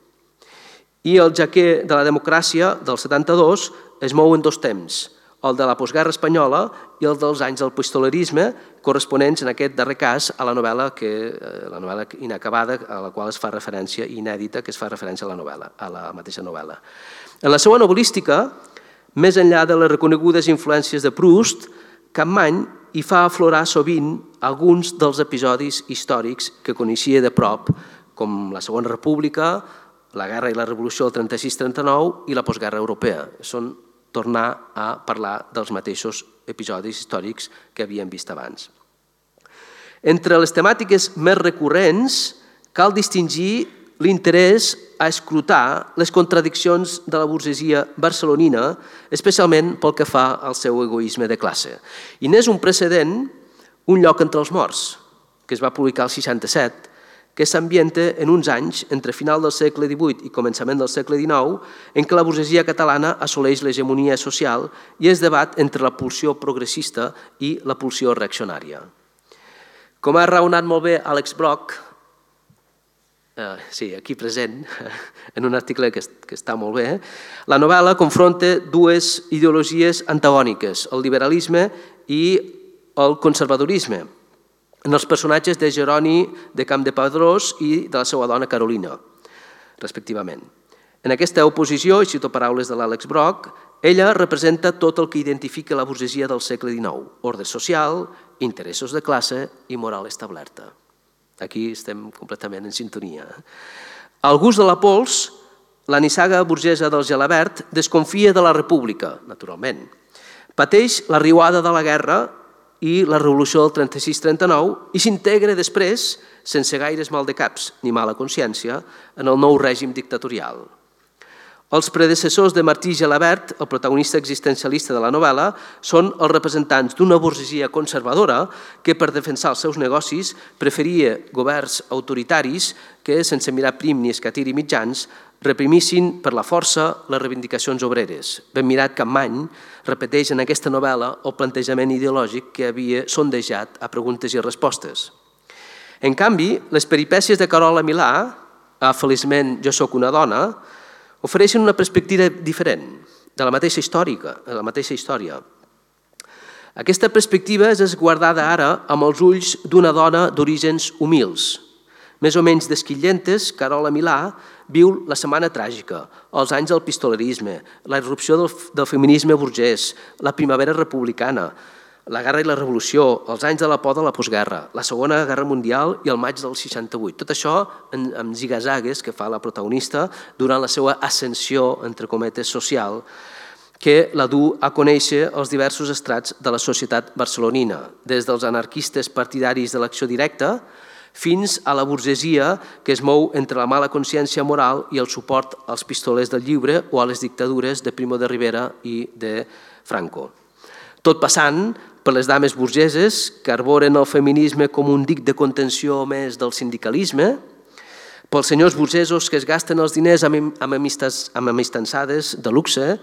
I el Jaquer de la democràcia, del 72, es mou en 2 temps, el de la postguerra espanyola i el dels anys del pistolerisme, corresponents en aquest darrer cas a la novel·la inacabada, a la qual es fa referència, inèdita, que es fa referència a la mateixa novel·la. En la seva novel·lística, més enllà de les reconegudes influències de Proust, Capmany hi fa aflorar sovint alguns dels episodis històrics que coneixia de prop, com la Segona República, la guerra i la revolució del 36-39 i la postguerra europea. Són tornar a parlar dels mateixos episodis històrics que havíem vist abans. Entre les temàtiques més recurrents cal distingir l'interès a escrutar les contradiccions de la burgesia barcelonina, especialment pel que fa al seu egoisme de classe. I n'és un precedent Un lloc entre els morts, que es va publicar al 67, que s'ambienta en uns anys, entre final del segle XVIII i començament del segle XIX, en què la burgesia catalana assoleix l'hegemonia social i es debat entre la pulsió progressista i la pulsió reaccionària. Com ha raonat molt bé Alex Brock, aquí present, en un article que està molt bé, la novel·la confronta 2 ideologies antagòniques, el liberalisme i el conservadorisme, en els personatges de Jeroni de Campdepadrós i de la seva dona Carolina, respectivament. En aquesta oposició, i cito paraules de l'Àlex Brock, ella representa tot el que identifica la burgesia del segle XIX, ordre social, interessos de classe i moral establerta. Aquí estem completament en sintonia. Al gust de la pols, la nissaga burgesa del Gelabert desconfia de la república, naturalment. Pateix la riuada de la guerra i la revolució del 36-39 i s'integra després, sense gaires maldecaps ni mala consciència, en el nou règim dictatorial. Els predecessors de Martí Gelabert, el protagonista existencialista de la novel·la, són els representants d'una burgesia conservadora que, per defensar els seus negocis, preferia governs autoritaris que, sense mirar prim ni escatir i mitjans, reprimissin per la força les reivindicacions obreres. Ben mirat Capmany repeteix en aquesta novel·la el plantejament ideològic que havia sondejat a preguntes i respostes. En canvi, les peripècies de Carola Milà, a Feliçment jo sóc una dona, ofereixen una perspectiva diferent de la mateixa història. Aquesta perspectiva és esguardada ara amb els ulls d'una dona d'orígens humils. Més o menys desquillentes, Carola Milà viu la setmana tràgica, els anys del pistolerisme, la irrupció del feminisme burgès, la primavera republicana, la guerra i la revolució, els anys de la por de la postguerra, la Segona Guerra Mundial i el maig del 68. Tot això amb zigazagues que fa la protagonista durant la seva ascensió, entre cometes, social, que la du a conèixer els diversos estrats de la societat barcelonina, des dels anarquistes partidaris de l'acció directa fins a la burgesia que es mou entre la mala consciència moral i el suport als pistolers del lliure o a les dictadures de Primo de Rivera i de Franco. Tot passant per les dames burgeses que arboren el feminisme com un dic de contenció més del sindicalisme, pels senyors burgesos que es gasten els diners amb amistançades de luxe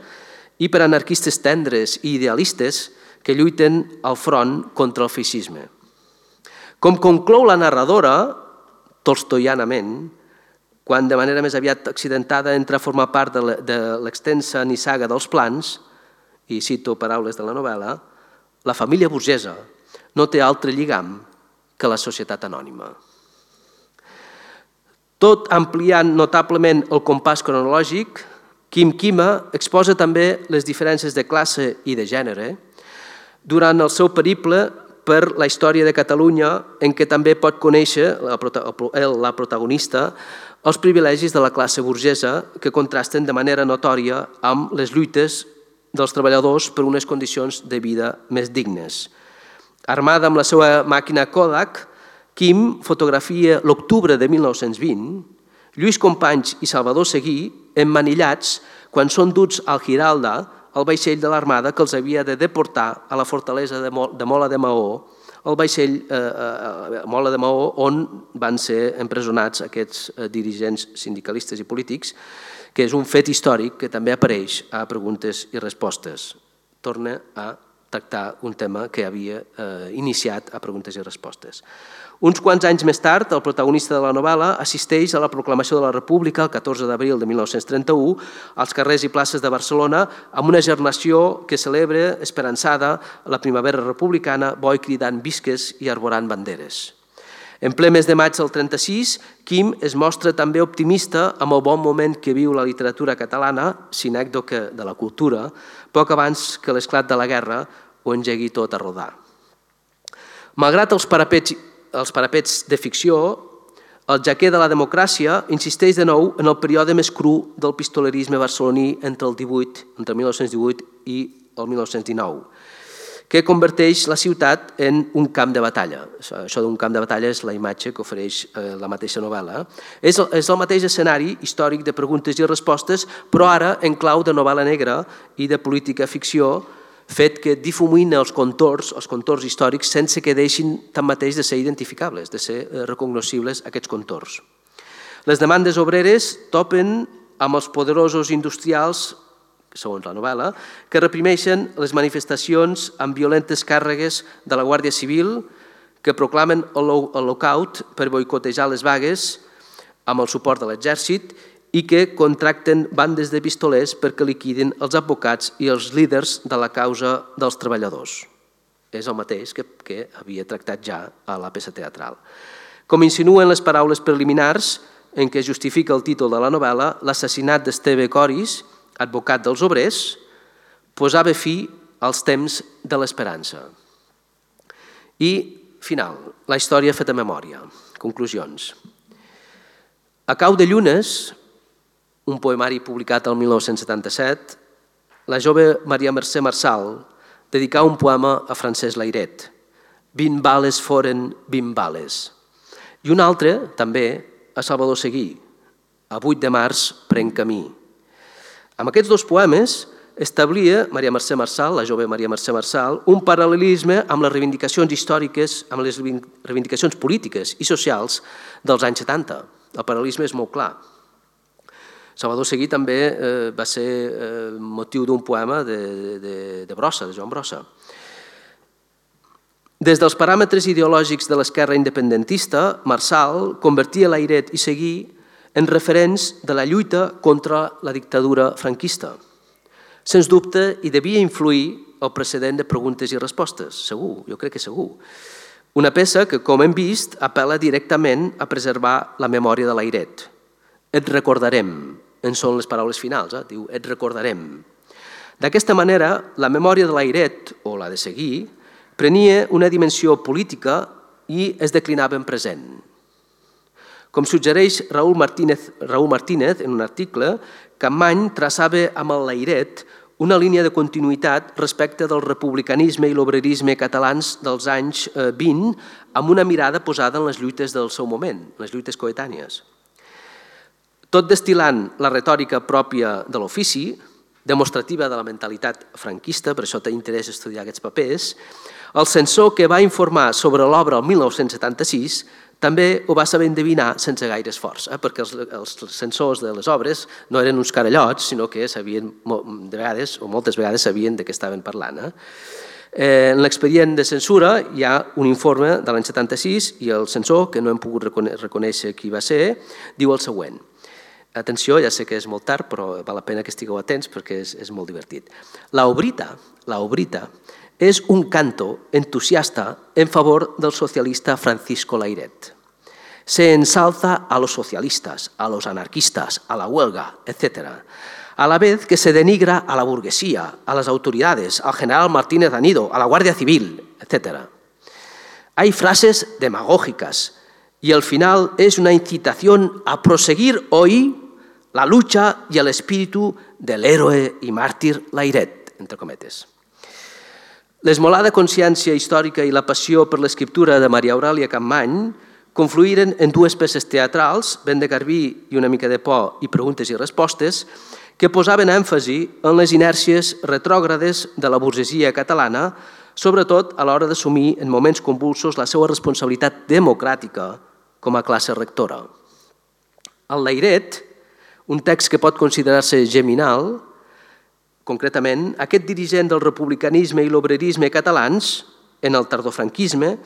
i per anarquistes tendres i idealistes que lluiten al front contra el feixisme. Com conclou la narradora, tolstoianament, quan de manera més aviat accidentada entra a formar part de l'extensa nissaga dels plans, i cito paraules de la novel·la, la família burgesa no té altre lligam que la societat anònima. Tot ampliant notablement el compàs cronològic, Quim Quima exposa també les diferències de classe i de gènere durant el seu periple per la història de Catalunya, en què també pot conèixer la protagonista els privilegis de la classe burgesa que contrasten de manera notòria amb les lluites dels treballadors per unes condicions de vida més dignes. Armada amb la seva màquina Kodak, Quim fotografia l'octubre de 1920, Lluís Companys i Salvador Seguí emmanillats quan són duts al Giralda, el vaixell de l'Armada que els havia de deportar a la fortalesa de Mola de Maó, el vaixell Mola de Maó on van ser empresonats aquests dirigents sindicalistes i polítics, que és un fet històric que també apareix a preguntes i respostes. Torna a tractar un tema que havia iniciat a preguntes i respostes. Uns quants anys més tard, el protagonista de la novel·la assisteix a la proclamació de la República el 14 d'abril de 1931 als carrers i places de Barcelona amb una gernació que celebra esperançada la primavera republicana, bo i cridant visques i arborant banderes. En ple mes de maig del 36, Quim es mostra també optimista amb el bon moment que viu la literatura catalana, sinècdoque de la cultura, poc abans que l'esclat de la guerra ho engegui tot a rodar. Malgrat els parapets de ficció, el jaquer de la democràcia insisteix de nou en el període més cru del pistolerisme barceloní entre 1918 i el 1919, que converteix la ciutat en un camp de batalla. Això d'un camp de batalla és la imatge que ofereix la mateixa novel·la. És el mateix escenari històric de preguntes i respostes, però ara en clau de novel·la negra i de política ficció, fet que difumina els contorns històrics sense que deixin tanmateix de ser identificables, de ser recognoscibles aquests contorns. Les demandes obreres topen amb els poderosos industrials, segons la novel·la, que reprimeixen les manifestacions amb violentes càrregues de la Guàrdia Civil, que proclamen el lockout per boicotejar les vagues amb el suport de l'exèrcit i que contracten bandes de pistolers perquè liquidin els advocats i els líders de la causa dels treballadors. És el mateix que havia tractat ja a la peça teatral. Com insinuen les paraules preliminars en què justifica el títol de la novel·la, l'assassinat d'Esteve Coris, advocat dels obrers, posava fi als temps de l'esperança. I, final, la història feta memòria. Conclusions. A cau de llunes, un poemari publicat el 1977, la jove Maria Mercè Marçal dedicà un poema a Francesc Layret, 20 bales foren 20 bales. I un altre, també, a Salvador Seguí, a 8 de març prenc camí. Amb aquests dos poemes establia Maria Mercè Marçal, la jove Maria Mercè Marçal, un paral·lelisme amb les reivindicacions històriques, amb les reivindicacions polítiques i socials dels anys 70. El paral·lelisme és molt clar. Salvador Seguí també va ser motiu d'un poema de Brossa, de Joan Brossa. Des dels paràmetres ideològics de l'esquerra independentista, Marçal convertia Layret i Seguí en referents de la lluita contra la dictadura franquista. Sens dubte, hi devia influir el precedent de preguntes i respostes, segur, jo crec que segur. Una peça que, com hem vist, apel·la directament a preservar la memòria de Layret. Et recordarem, en són les paraules finals, diu, et recordarem. D'aquesta manera, la memòria de Layret, o la de Seguí, prenia una dimensió política i es declinava en present. Com suggereix Raúl Martínez en un article, Capmany traçava amb el Layret una línia de continuïtat respecte del republicanisme i l'obrerisme catalans dels anys 20 amb una mirada posada en les lluites del seu moment, les lluites coetànies. Tot destil·lant la retòrica pròpia de l'ofici, demostrativa de la mentalitat franquista, per això té interès estudiar aquests papers, el censor que va informar sobre l'obra el 1976 també ho va saber endevinar sense gaire esforç, perquè els censors de les obres no eren uns carallots, sinó que sabien de vegades, o moltes vegades sabien de què estaven parlant. En l'expedient de censura hi ha un informe de l'any 76 i el censor, que no hem pogut reconèixer qui va ser, diu el següent. Atenció, ja sé que és molt tard, però val la pena que estigueu atents perquè és molt divertit. La obrita es un canto entusiasta en favor del socialista Francisco Layret. Se ensalza a los socialistas, a los anarquistas, a la huelga, etc., a la vez que se denigra a la burguesía, a las autoridades, al general Martínez Anido, a la Guardia Civil, etc. Hay frases demagógicas y al final es una incitación a proseguir hoy la lucha y el espíritu del héroe y mártir Layret, entre cometes. L'esmolada consciència històrica i la passió per l'escriptura de Maria Aurèlia Capmany confluïren en dues peces teatrals, Vent de Garbí i Una mica de por i Preguntes i respostes, que posaven èmfasi en les inèrcies retrògrades de la burgesia catalana, sobretot a l'hora d'assumir en moments convulsos la seva responsabilitat democràtica com a classe rectora. El Layret, un text que pot considerar-se geminal, concretament, aquest dirigent del republicanisme i l'obrerisme catalans, en el tardofranquisme,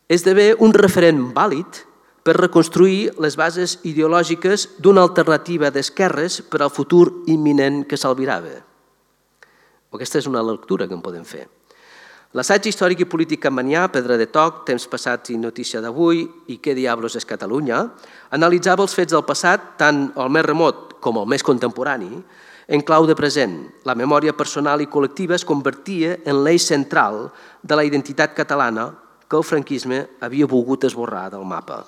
esdevé un referent vàlid per reconstruir les bases ideològiques d'una alternativa d'esquerres per al futur imminent que s'albirava. Aquesta és una lectura que en podem fer. L'assaig històric i polític capmanià, Pedra de Toc, Temps passats i notícia d'avui i Què diablos és Catalunya, analitzava els fets del passat, tant el més remot com el més contemporani, en clau de present. La memòria personal i col·lectiva es convertia en l'eix central de la identitat catalana que el franquisme havia volgut esborrar del mapa.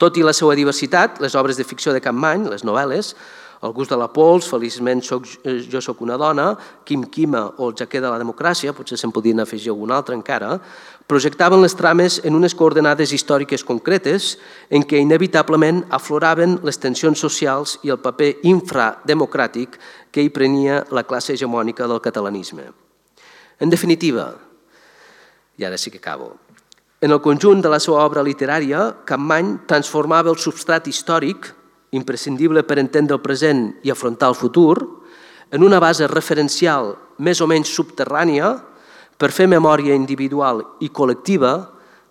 Tot i la seva diversitat, les obres de ficció de Capmany, les novel·les, El gust de la pols, Feliçment jo soc una dona, Quim Quima o El jaquer de la democràcia, potser se'n podien afegir algun altre encara, projectaven les trames en unes coordenades històriques concretes en què inevitablement afloraven les tensions socials i el paper infrademocràtic que hi prenia la classe hegemònica del catalanisme. En definitiva, i ara sí que acabo, en el conjunt de la seva obra literària, Capmany transformava el substrat històric, imprescindible per entendre el present i afrontar el futur, en una base referencial més o menys subterrània per fer memòria individual i col·lectiva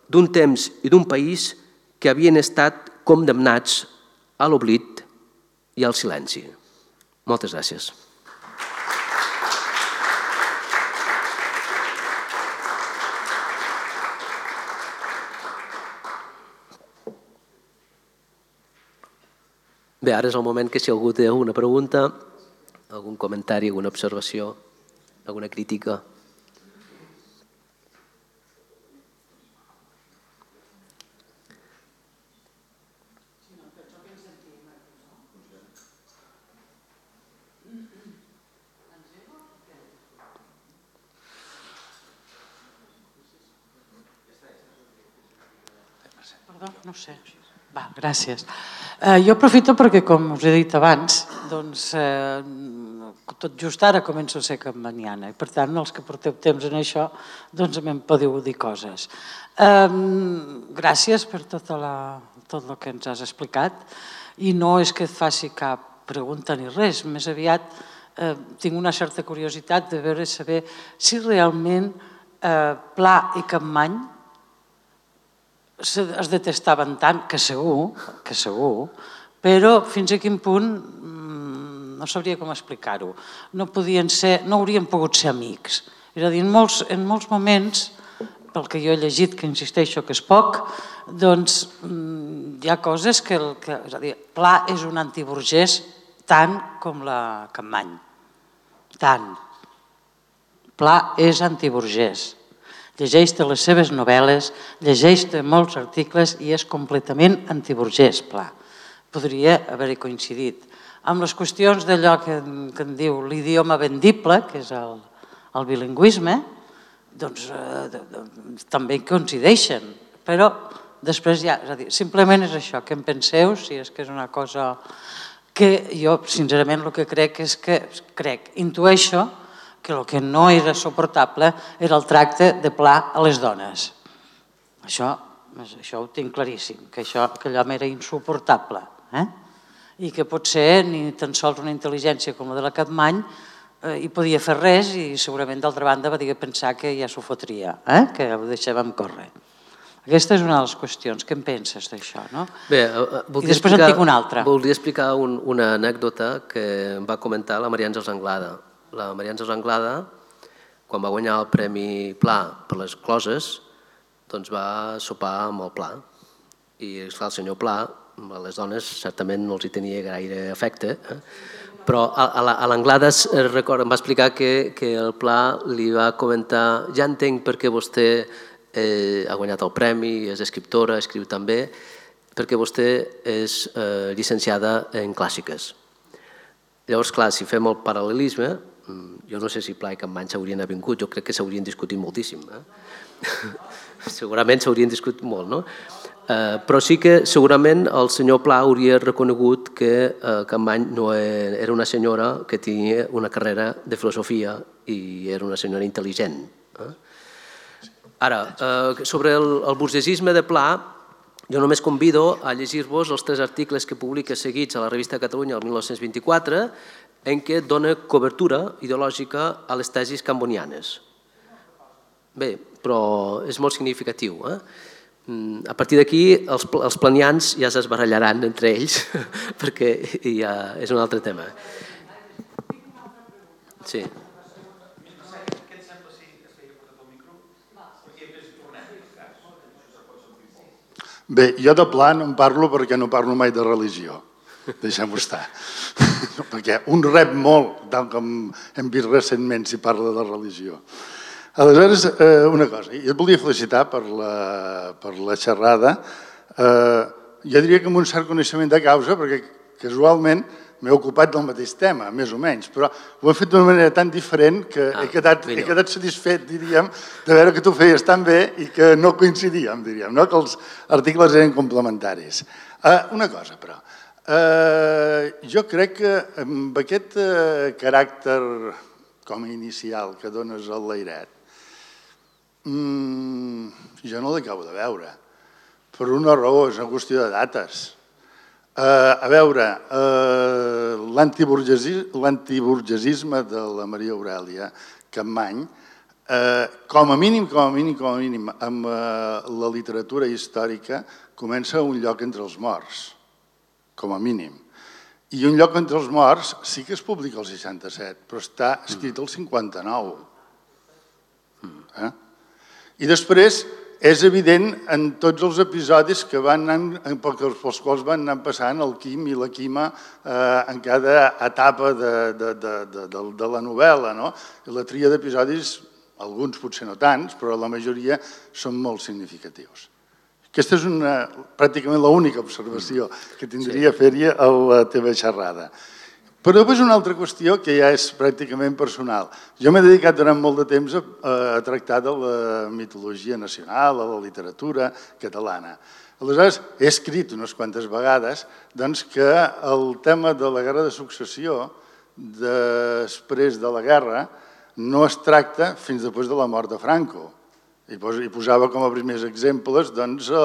d'un temps i d'un país que havien estat condemnats a l'oblit i al silenci. Moltes gràcies. Bé, ara és el moment que si algú té alguna pregunta, algun comentari, alguna observació, alguna crítica. No sé. Va, gràcies. Jo aprofito perquè, com us he dit abans, doncs tot just ara començo a ser campaniana i per tant els que porteu temps en això doncs me'n podeu dir coses. Gràcies per tot el que ens has explicat i no és que et faci cap pregunta ni res, més aviat tinc una certa curiositat de veure saber si realment Pla i Capmany es detestaven tant, que segur, però fins a quin punt no sabria com explicar-ho. No haurien pogut ser amics. És a dir, en molts moments, pel que jo he llegit, que insisteixo que és poc, doncs hi ha coses que... És a dir, Pla és un antiburgès tant com la Capmany. Tant. Pla és antiburgès. Llegeix-te les seves novel·les, llegeix-te molts articles i és completament antiburgès, Pla. Podria haver-hi coincidit. Amb les qüestions d'allò que en diu l'idioma vendible, que és el bilingüisme, doncs també coincideixen, però després ja, és a dir, simplement és això, que en penseu, si és que és una cosa que jo, sincerament, el que crec és que, intueixo, que el que no era suportable era el tracte de Pla a les dones. Això ho tinc claríssim, que allò m'era insuportable. I que potser ni tan sols una intel·ligència com la de la Capmany hi podia fer res i segurament d'altra banda va dir pensar que ja s'ho fotria, que ho deixàvem córrer. Aquesta és una de les qüestions. Què en penses d'això? Bé, i després en tinc una altra. Voldria explicar una anècdota que em va comentar la Maria Àngels Anglada. La Maria Àngels Anglada, quan va guanyar el Premi Pla per les Closes, doncs va sopar amb el Pla. I el senyor Pla, a les dones certament no els hi tenia gaire afecte, però a l'Anglada em va explicar que el Pla li va comentar ja entenc per què vostè ha guanyat el premi, és escriptora, escriu també, perquè vostè és llicenciada en clàssiques. Llavors, clar, si fem el paral·lelisme, jo no sé si Pla i Capmany s'haurien avingut, jo crec que s'haurien discutit moltíssim. Segurament s'haurien discutit molt, no? Però sí que segurament el senyor Pla hauria reconegut que Capmany no era una senyora que tenia una carrera de filosofia i era una senyora intel·ligent. Ara, sobre el burgesisme de Pla, jo només convido a llegir-vos els 3 articles que publica seguits a la revista Catalunya el 1924 en què dona cobertura ideològica a les tesis cambonianes. Bé, però és molt significatiu. A partir d'aquí els planians ja s'esbarallaran entre ells perquè ja és un altre tema. Sí. Bé, jo de Pla no en parlo perquè no parlo mai de religió. Deixem-ho estar. Perquè un rep molt, tal com hem vist recentment si parla de religió. Aleshores, una cosa, jo et volia felicitar per la xerrada. Jo diria que amb un cert coneixement de causa, perquè casualment m'he ocupat del mateix tema, més o menys, però ho he fet d'una manera tan diferent que he quedat satisfet, diríem, de veure que tu feies tan bé i que no coincidíem, diríem, que els articles eren complementaris. Una cosa, però, jo crec que amb aquest caràcter com a inicial que dones al Layret, jo no l'acabo de veure, per una raó, és una qüestió de dates. A veure, l'antiburgesisme de la Maria Aurèlia Capmany, com a mínim, amb la literatura històrica, comença un lloc entre els morts, com a mínim. I un lloc entre els morts sí que es publica el 67, però està escrit el 59. I després és evident en tots els episodis pels quals van anar passant el Quim i la Quima en cada etapa de la novel·la. La tria d'episodis, alguns potser no tants, però la majoria són molt significatius. Aquesta és pràcticament l'única observació que tindria a fer-hi a la teva xerrada. Però després una altra qüestió que ja és pràcticament personal. Jo m'he dedicat durant molt de temps a tractar de la mitologia nacional, a la literatura catalana. Aleshores, he escrit unes quantes vegades que el tema de la guerra de successió, després de la guerra, no es tracta fins després de la mort de Franco. I posava com a primers exemples d'això,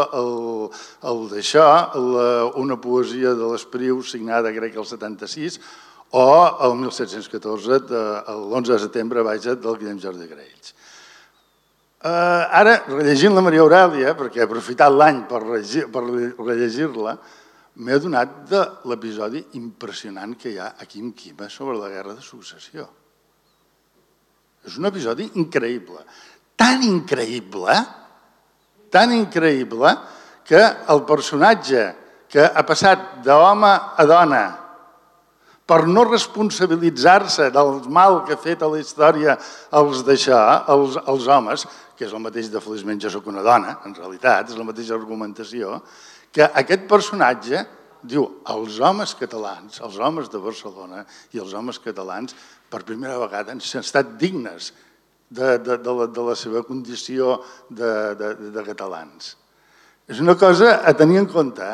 una poesia de l'Espriu signada, crec, el 76, o el 1714, l'11 de setembre, del Guillem Jordi Graells. Ara, rellegint la Maria Aurèlia, perquè he aprofitat l'any per rellegir-la, m'he adonat de l'episodi impressionant que hi ha a Quim Quima sobre la guerra de successió. És un episodi increïble. Tan increïble que el personatge que ha passat d'home a dona per no responsabilitzar-se del mal que ha fet a la història els homes, que és el mateix de Feliçment jo soc una dona, en realitat, és la mateixa argumentació, que aquest personatge diu els homes catalans, els homes de Barcelona i els homes catalans per primera vegada han estat dignes de la seva condició de catalans. És una cosa a tenir en compte,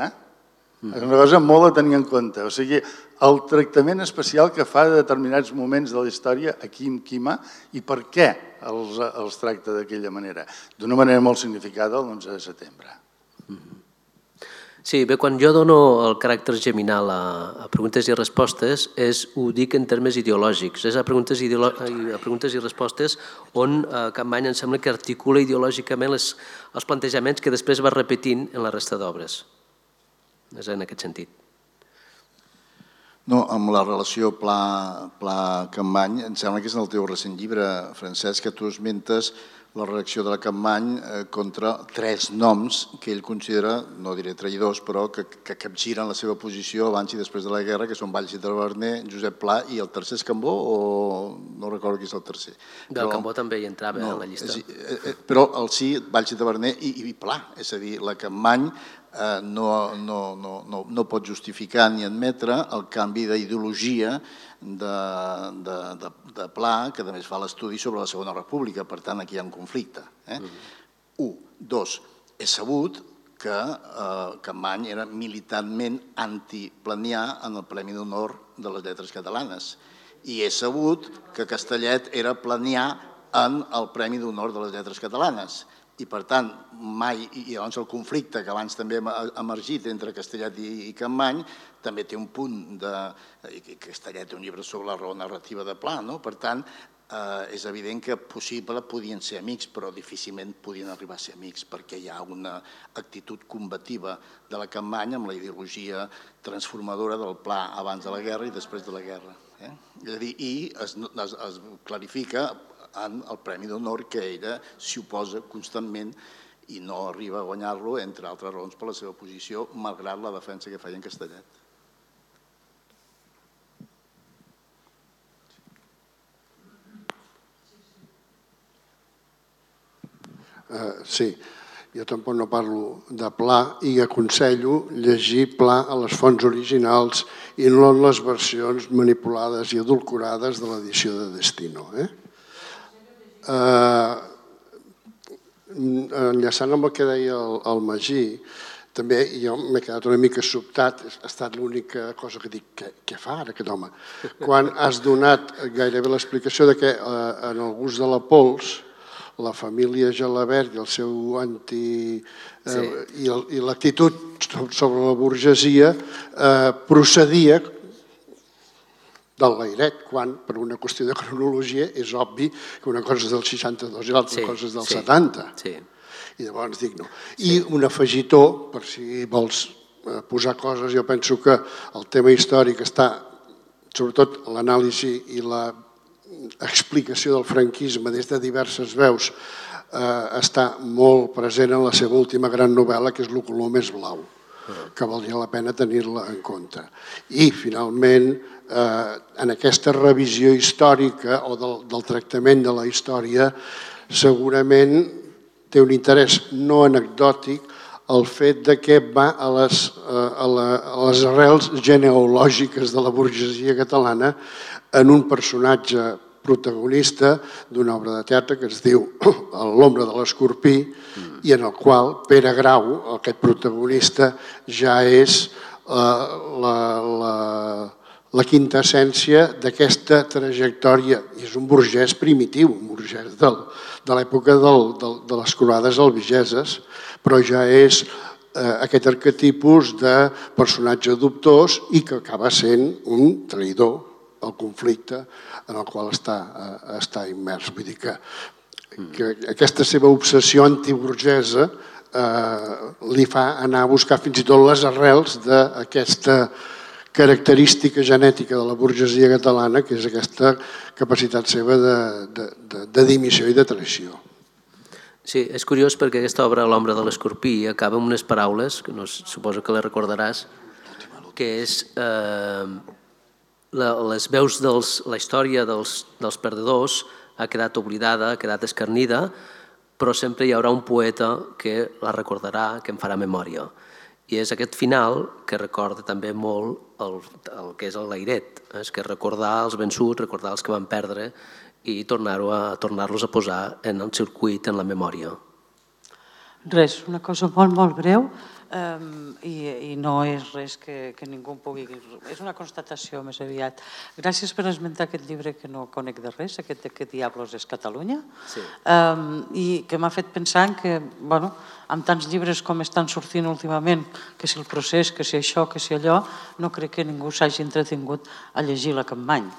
és una cosa molt a tenir en compte. O sigui, el tractament especial que fa de determinats moments de la història a Quim Quima i per què els tracta d'aquella manera, d'una manera molt significada l'11 de setembre. Sí, bé, quan jo dono el caràcter geminal a preguntes i respostes ho dic en termes ideològics. És a preguntes i respostes on Capmany em sembla que articula ideològicament els plantejaments que després va repetint en la resta d'obres. És en aquest sentit. No, amb la relació Pla-Capmany, em sembla que és en el teu recent llibre, Francesc, que tu esmentes la reacció de la Capmany contra 3 noms que ell considera, no diré traïdors, però que capgiren la seva posició abans i després de la guerra, que són Valls i Taverner, Josep Pla i el tercer és Cambó, o no recordo qui és el tercer. El Cambó també hi entrava en la llista. Però el sí, Valls i Taverner i Pla, és a dir, la Capmany no pot justificar ni admetre el canvi d'ideologia de Pla, que a més fa l'estudi sobre la Segona República, per tant aquí hi ha un conflicte. 1. 2. És sabut que Capmany era militantment antiplanià en el Premi d'Honor de les Lletres Catalanes i és sabut que Castellet era planià en el Premi d'Honor de les Lletres Catalanes. I per tant, mai, i llavors el conflicte que abans també ha emergit entre Castellet i Capmany també té un punt de... Castellet té un llibre sobre la raó narrativa de Pla, no? Per tant, és evident que possible podien ser amics, però difícilment podien arribar a ser amics perquè hi ha una actitud combativa de la Capmany amb la ideologia transformadora del Pla abans de la guerra i després de la guerra. És a dir, i es clarifica en el Premi d'Honor que ella s'hi oposa constantment i no arriba a guanyar-lo, entre altres raons, per la seva posició, malgrat la defensa que feia en Castellet. Sí, jo tampoc no parlo de Pla i aconsello llegir Pla a les fonts originals i no en les versions manipulades i adulcorades de l'edició de Destino. Enllaçant amb el que deia el Magí, també jo m'he quedat una mica sobtat, ha estat l'única cosa que dic, què fa ara aquest home? Quan has donat gairebé l'explicació que en el gust de la pols, la família Gelabert i el seu i l'actitud sobre la burgesia procedia del Lairet, quan per una qüestió de cronologia és obvi que una cosa és del 62 i l'altra cosa és del 70. I llavors dic no. I un afegitó, per si vols posar coses, jo penso que el tema històric està, sobretot l'anàlisi i l'explicació del franquisme des de diverses veus, està molt present en la seva última gran novel·la, que és Lo color més blau, que valdria la pena tenir-la en compte. I, finalment, en aquesta revisió històrica o del tractament de la història, segurament té un interès no anecdòtic el fet de que va a les arrels genealògiques de la burgesia catalana en un personatge protagonista d'una obra de teatre que es diu L'ombra de l'escorpí i en el qual Pere Grau, aquest protagonista, ja és la quinta essència d'aquesta trajectòria. I és un burgès primitiu, un burgès de l'època de les croades albigeses, però ja és aquest arquetipus de personatge dubtós i que acaba sent un traïdor al conflicte en el qual està immers. Vull dir que aquesta seva obsessió antiburgesa li fa anar a buscar fins i tot les arrels d'aquesta característica genètica de la burgesia catalana, que és aquesta capacitat seva de dimissió i de traïció. Sí, és curiós perquè aquesta obra, L'ombra de l'escorpí, acaba amb unes paraules, que suposo que les recordaràs, que és les veus de la història dels perdedors ha quedat oblidada, ha quedat escarnida, però sempre hi haurà un poeta que la recordarà, que en farà memòria. I és aquest final que recorda també molt el que és el Lairet, és que recordar els vençuts, recordar els que van perdre i tornar-los a posar en el circuit, en la memòria. Res, una cosa molt, molt breu, i no és res que ningú pugui... És una constatació més aviat. Gràcies per esmentar aquest llibre que no conec de res, aquest de Què diablos és Catalunya, i que m'ha fet pensar que, amb tants llibres com estan sortint últimament, que si el procés, que si això, que si allò, no crec que ningú s'hagi entretingut a llegir la Capmany.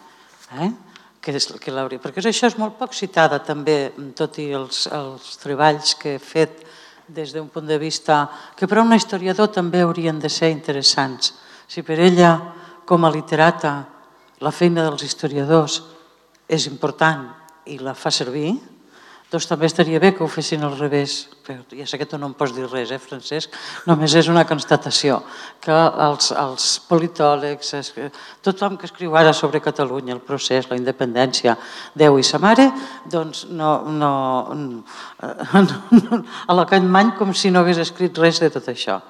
Perquè això és molt poc citada també, tot i els treballs que he fet des d'un punt de vista que per a un historiador també haurien de ser interessants. Si per ella, com a literata, la feina dels historiadors és important i la fa servir, doncs també estaria bé que ho fessin al revés. Ja sé que tu no em pots dir res, Francesc? Només és una constatació que els politòlegs, tothom que escriu ara sobre Catalunya, el procés, la independència, Déu i sa mare, doncs a la Capmany com si no hagués escrit res de tot això.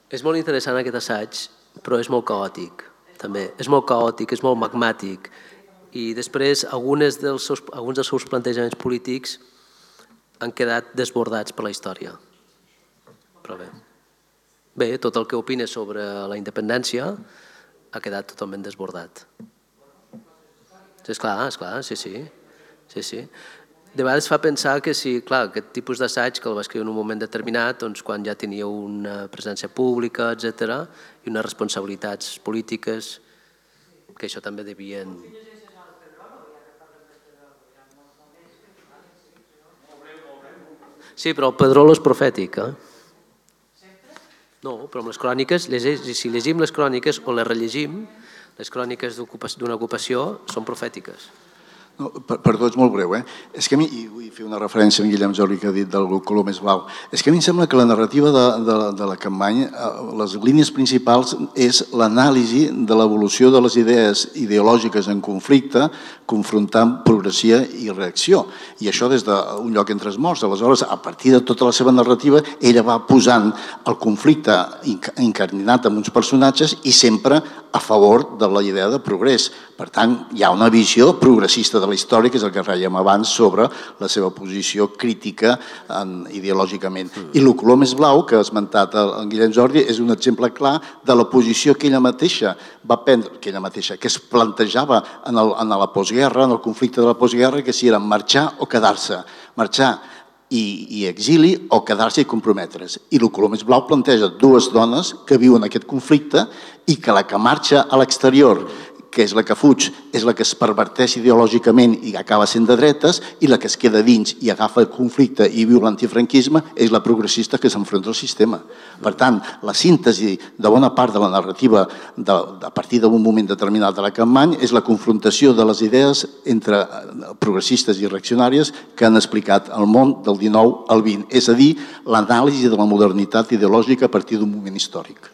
És molt interessant aquest assaig, però és molt caòtic, també. És molt caòtic, és molt magmàtic. I després alguns dels seus plantejaments polítics han quedat desbordats per la història. Però bé, tot el que opina sobre la independència ha quedat totalment desbordat. Esclar, sí. De vegades fa pensar que si, clar, aquest tipus d'assaig que el va escriure en un moment determinat, doncs quan ja tenia una presència pública, etc., i unes responsabilitats polítiques, que això també devien... Sí, però el Pedrolo és profètic, No, però amb les cròniques, si llegim les cròniques o les rellegim, les cròniques d'una ocupació són profètiques. Perdó, és molt breu. És que a mi, i vull fer una referència a en Guillem Jordi que ha dit del color més blau, és que a mi em sembla que la narrativa de la Capmany, les línies principals és l'anàlisi de l'evolució de les idees ideològiques en conflicte, confrontant progressió i reacció. I això des d'un lloc entre els morts. Aleshores, a partir de tota la seva narrativa, ella va posant el conflicte incardinat amb uns personatges i sempre a favor de la idea de progrés. Per tant, hi ha una visió progressista de la història, que és el que rèiem abans, sobre la seva posició crítica ideològicament. I el color més blau, que ha esmentat en Guillem Jordi, és un exemple clar de la posició que ella mateixa va prendre, que es plantejava en la postguerra, en el conflicte de la postguerra, que si era marxar o quedar-se. Marxar i exili o quedar-se i comprometre's. I el color més blau planteja dues dones que viuen aquest conflicte i que la que marxa a l'exterior, que és la que fuig, és la que es perverteix ideològicament i acaba sent de dretes, i la que es queda dins i agafa el conflicte i viu l'antifranquisme és la progressista que s'enfronta al sistema. Per tant, la síntesi de bona part de la narrativa a partir d'un moment determinat de la Capmany és la confrontació de les idees entre progressistes i reaccionàries que han explicat el món del 19 al 20, és a dir, l'anàlisi de la modernitat ideològica a partir d'un moment històric.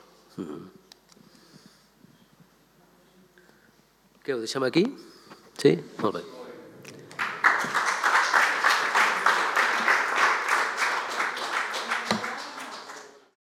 Què, ho deixem aquí? Sí? Molt bé.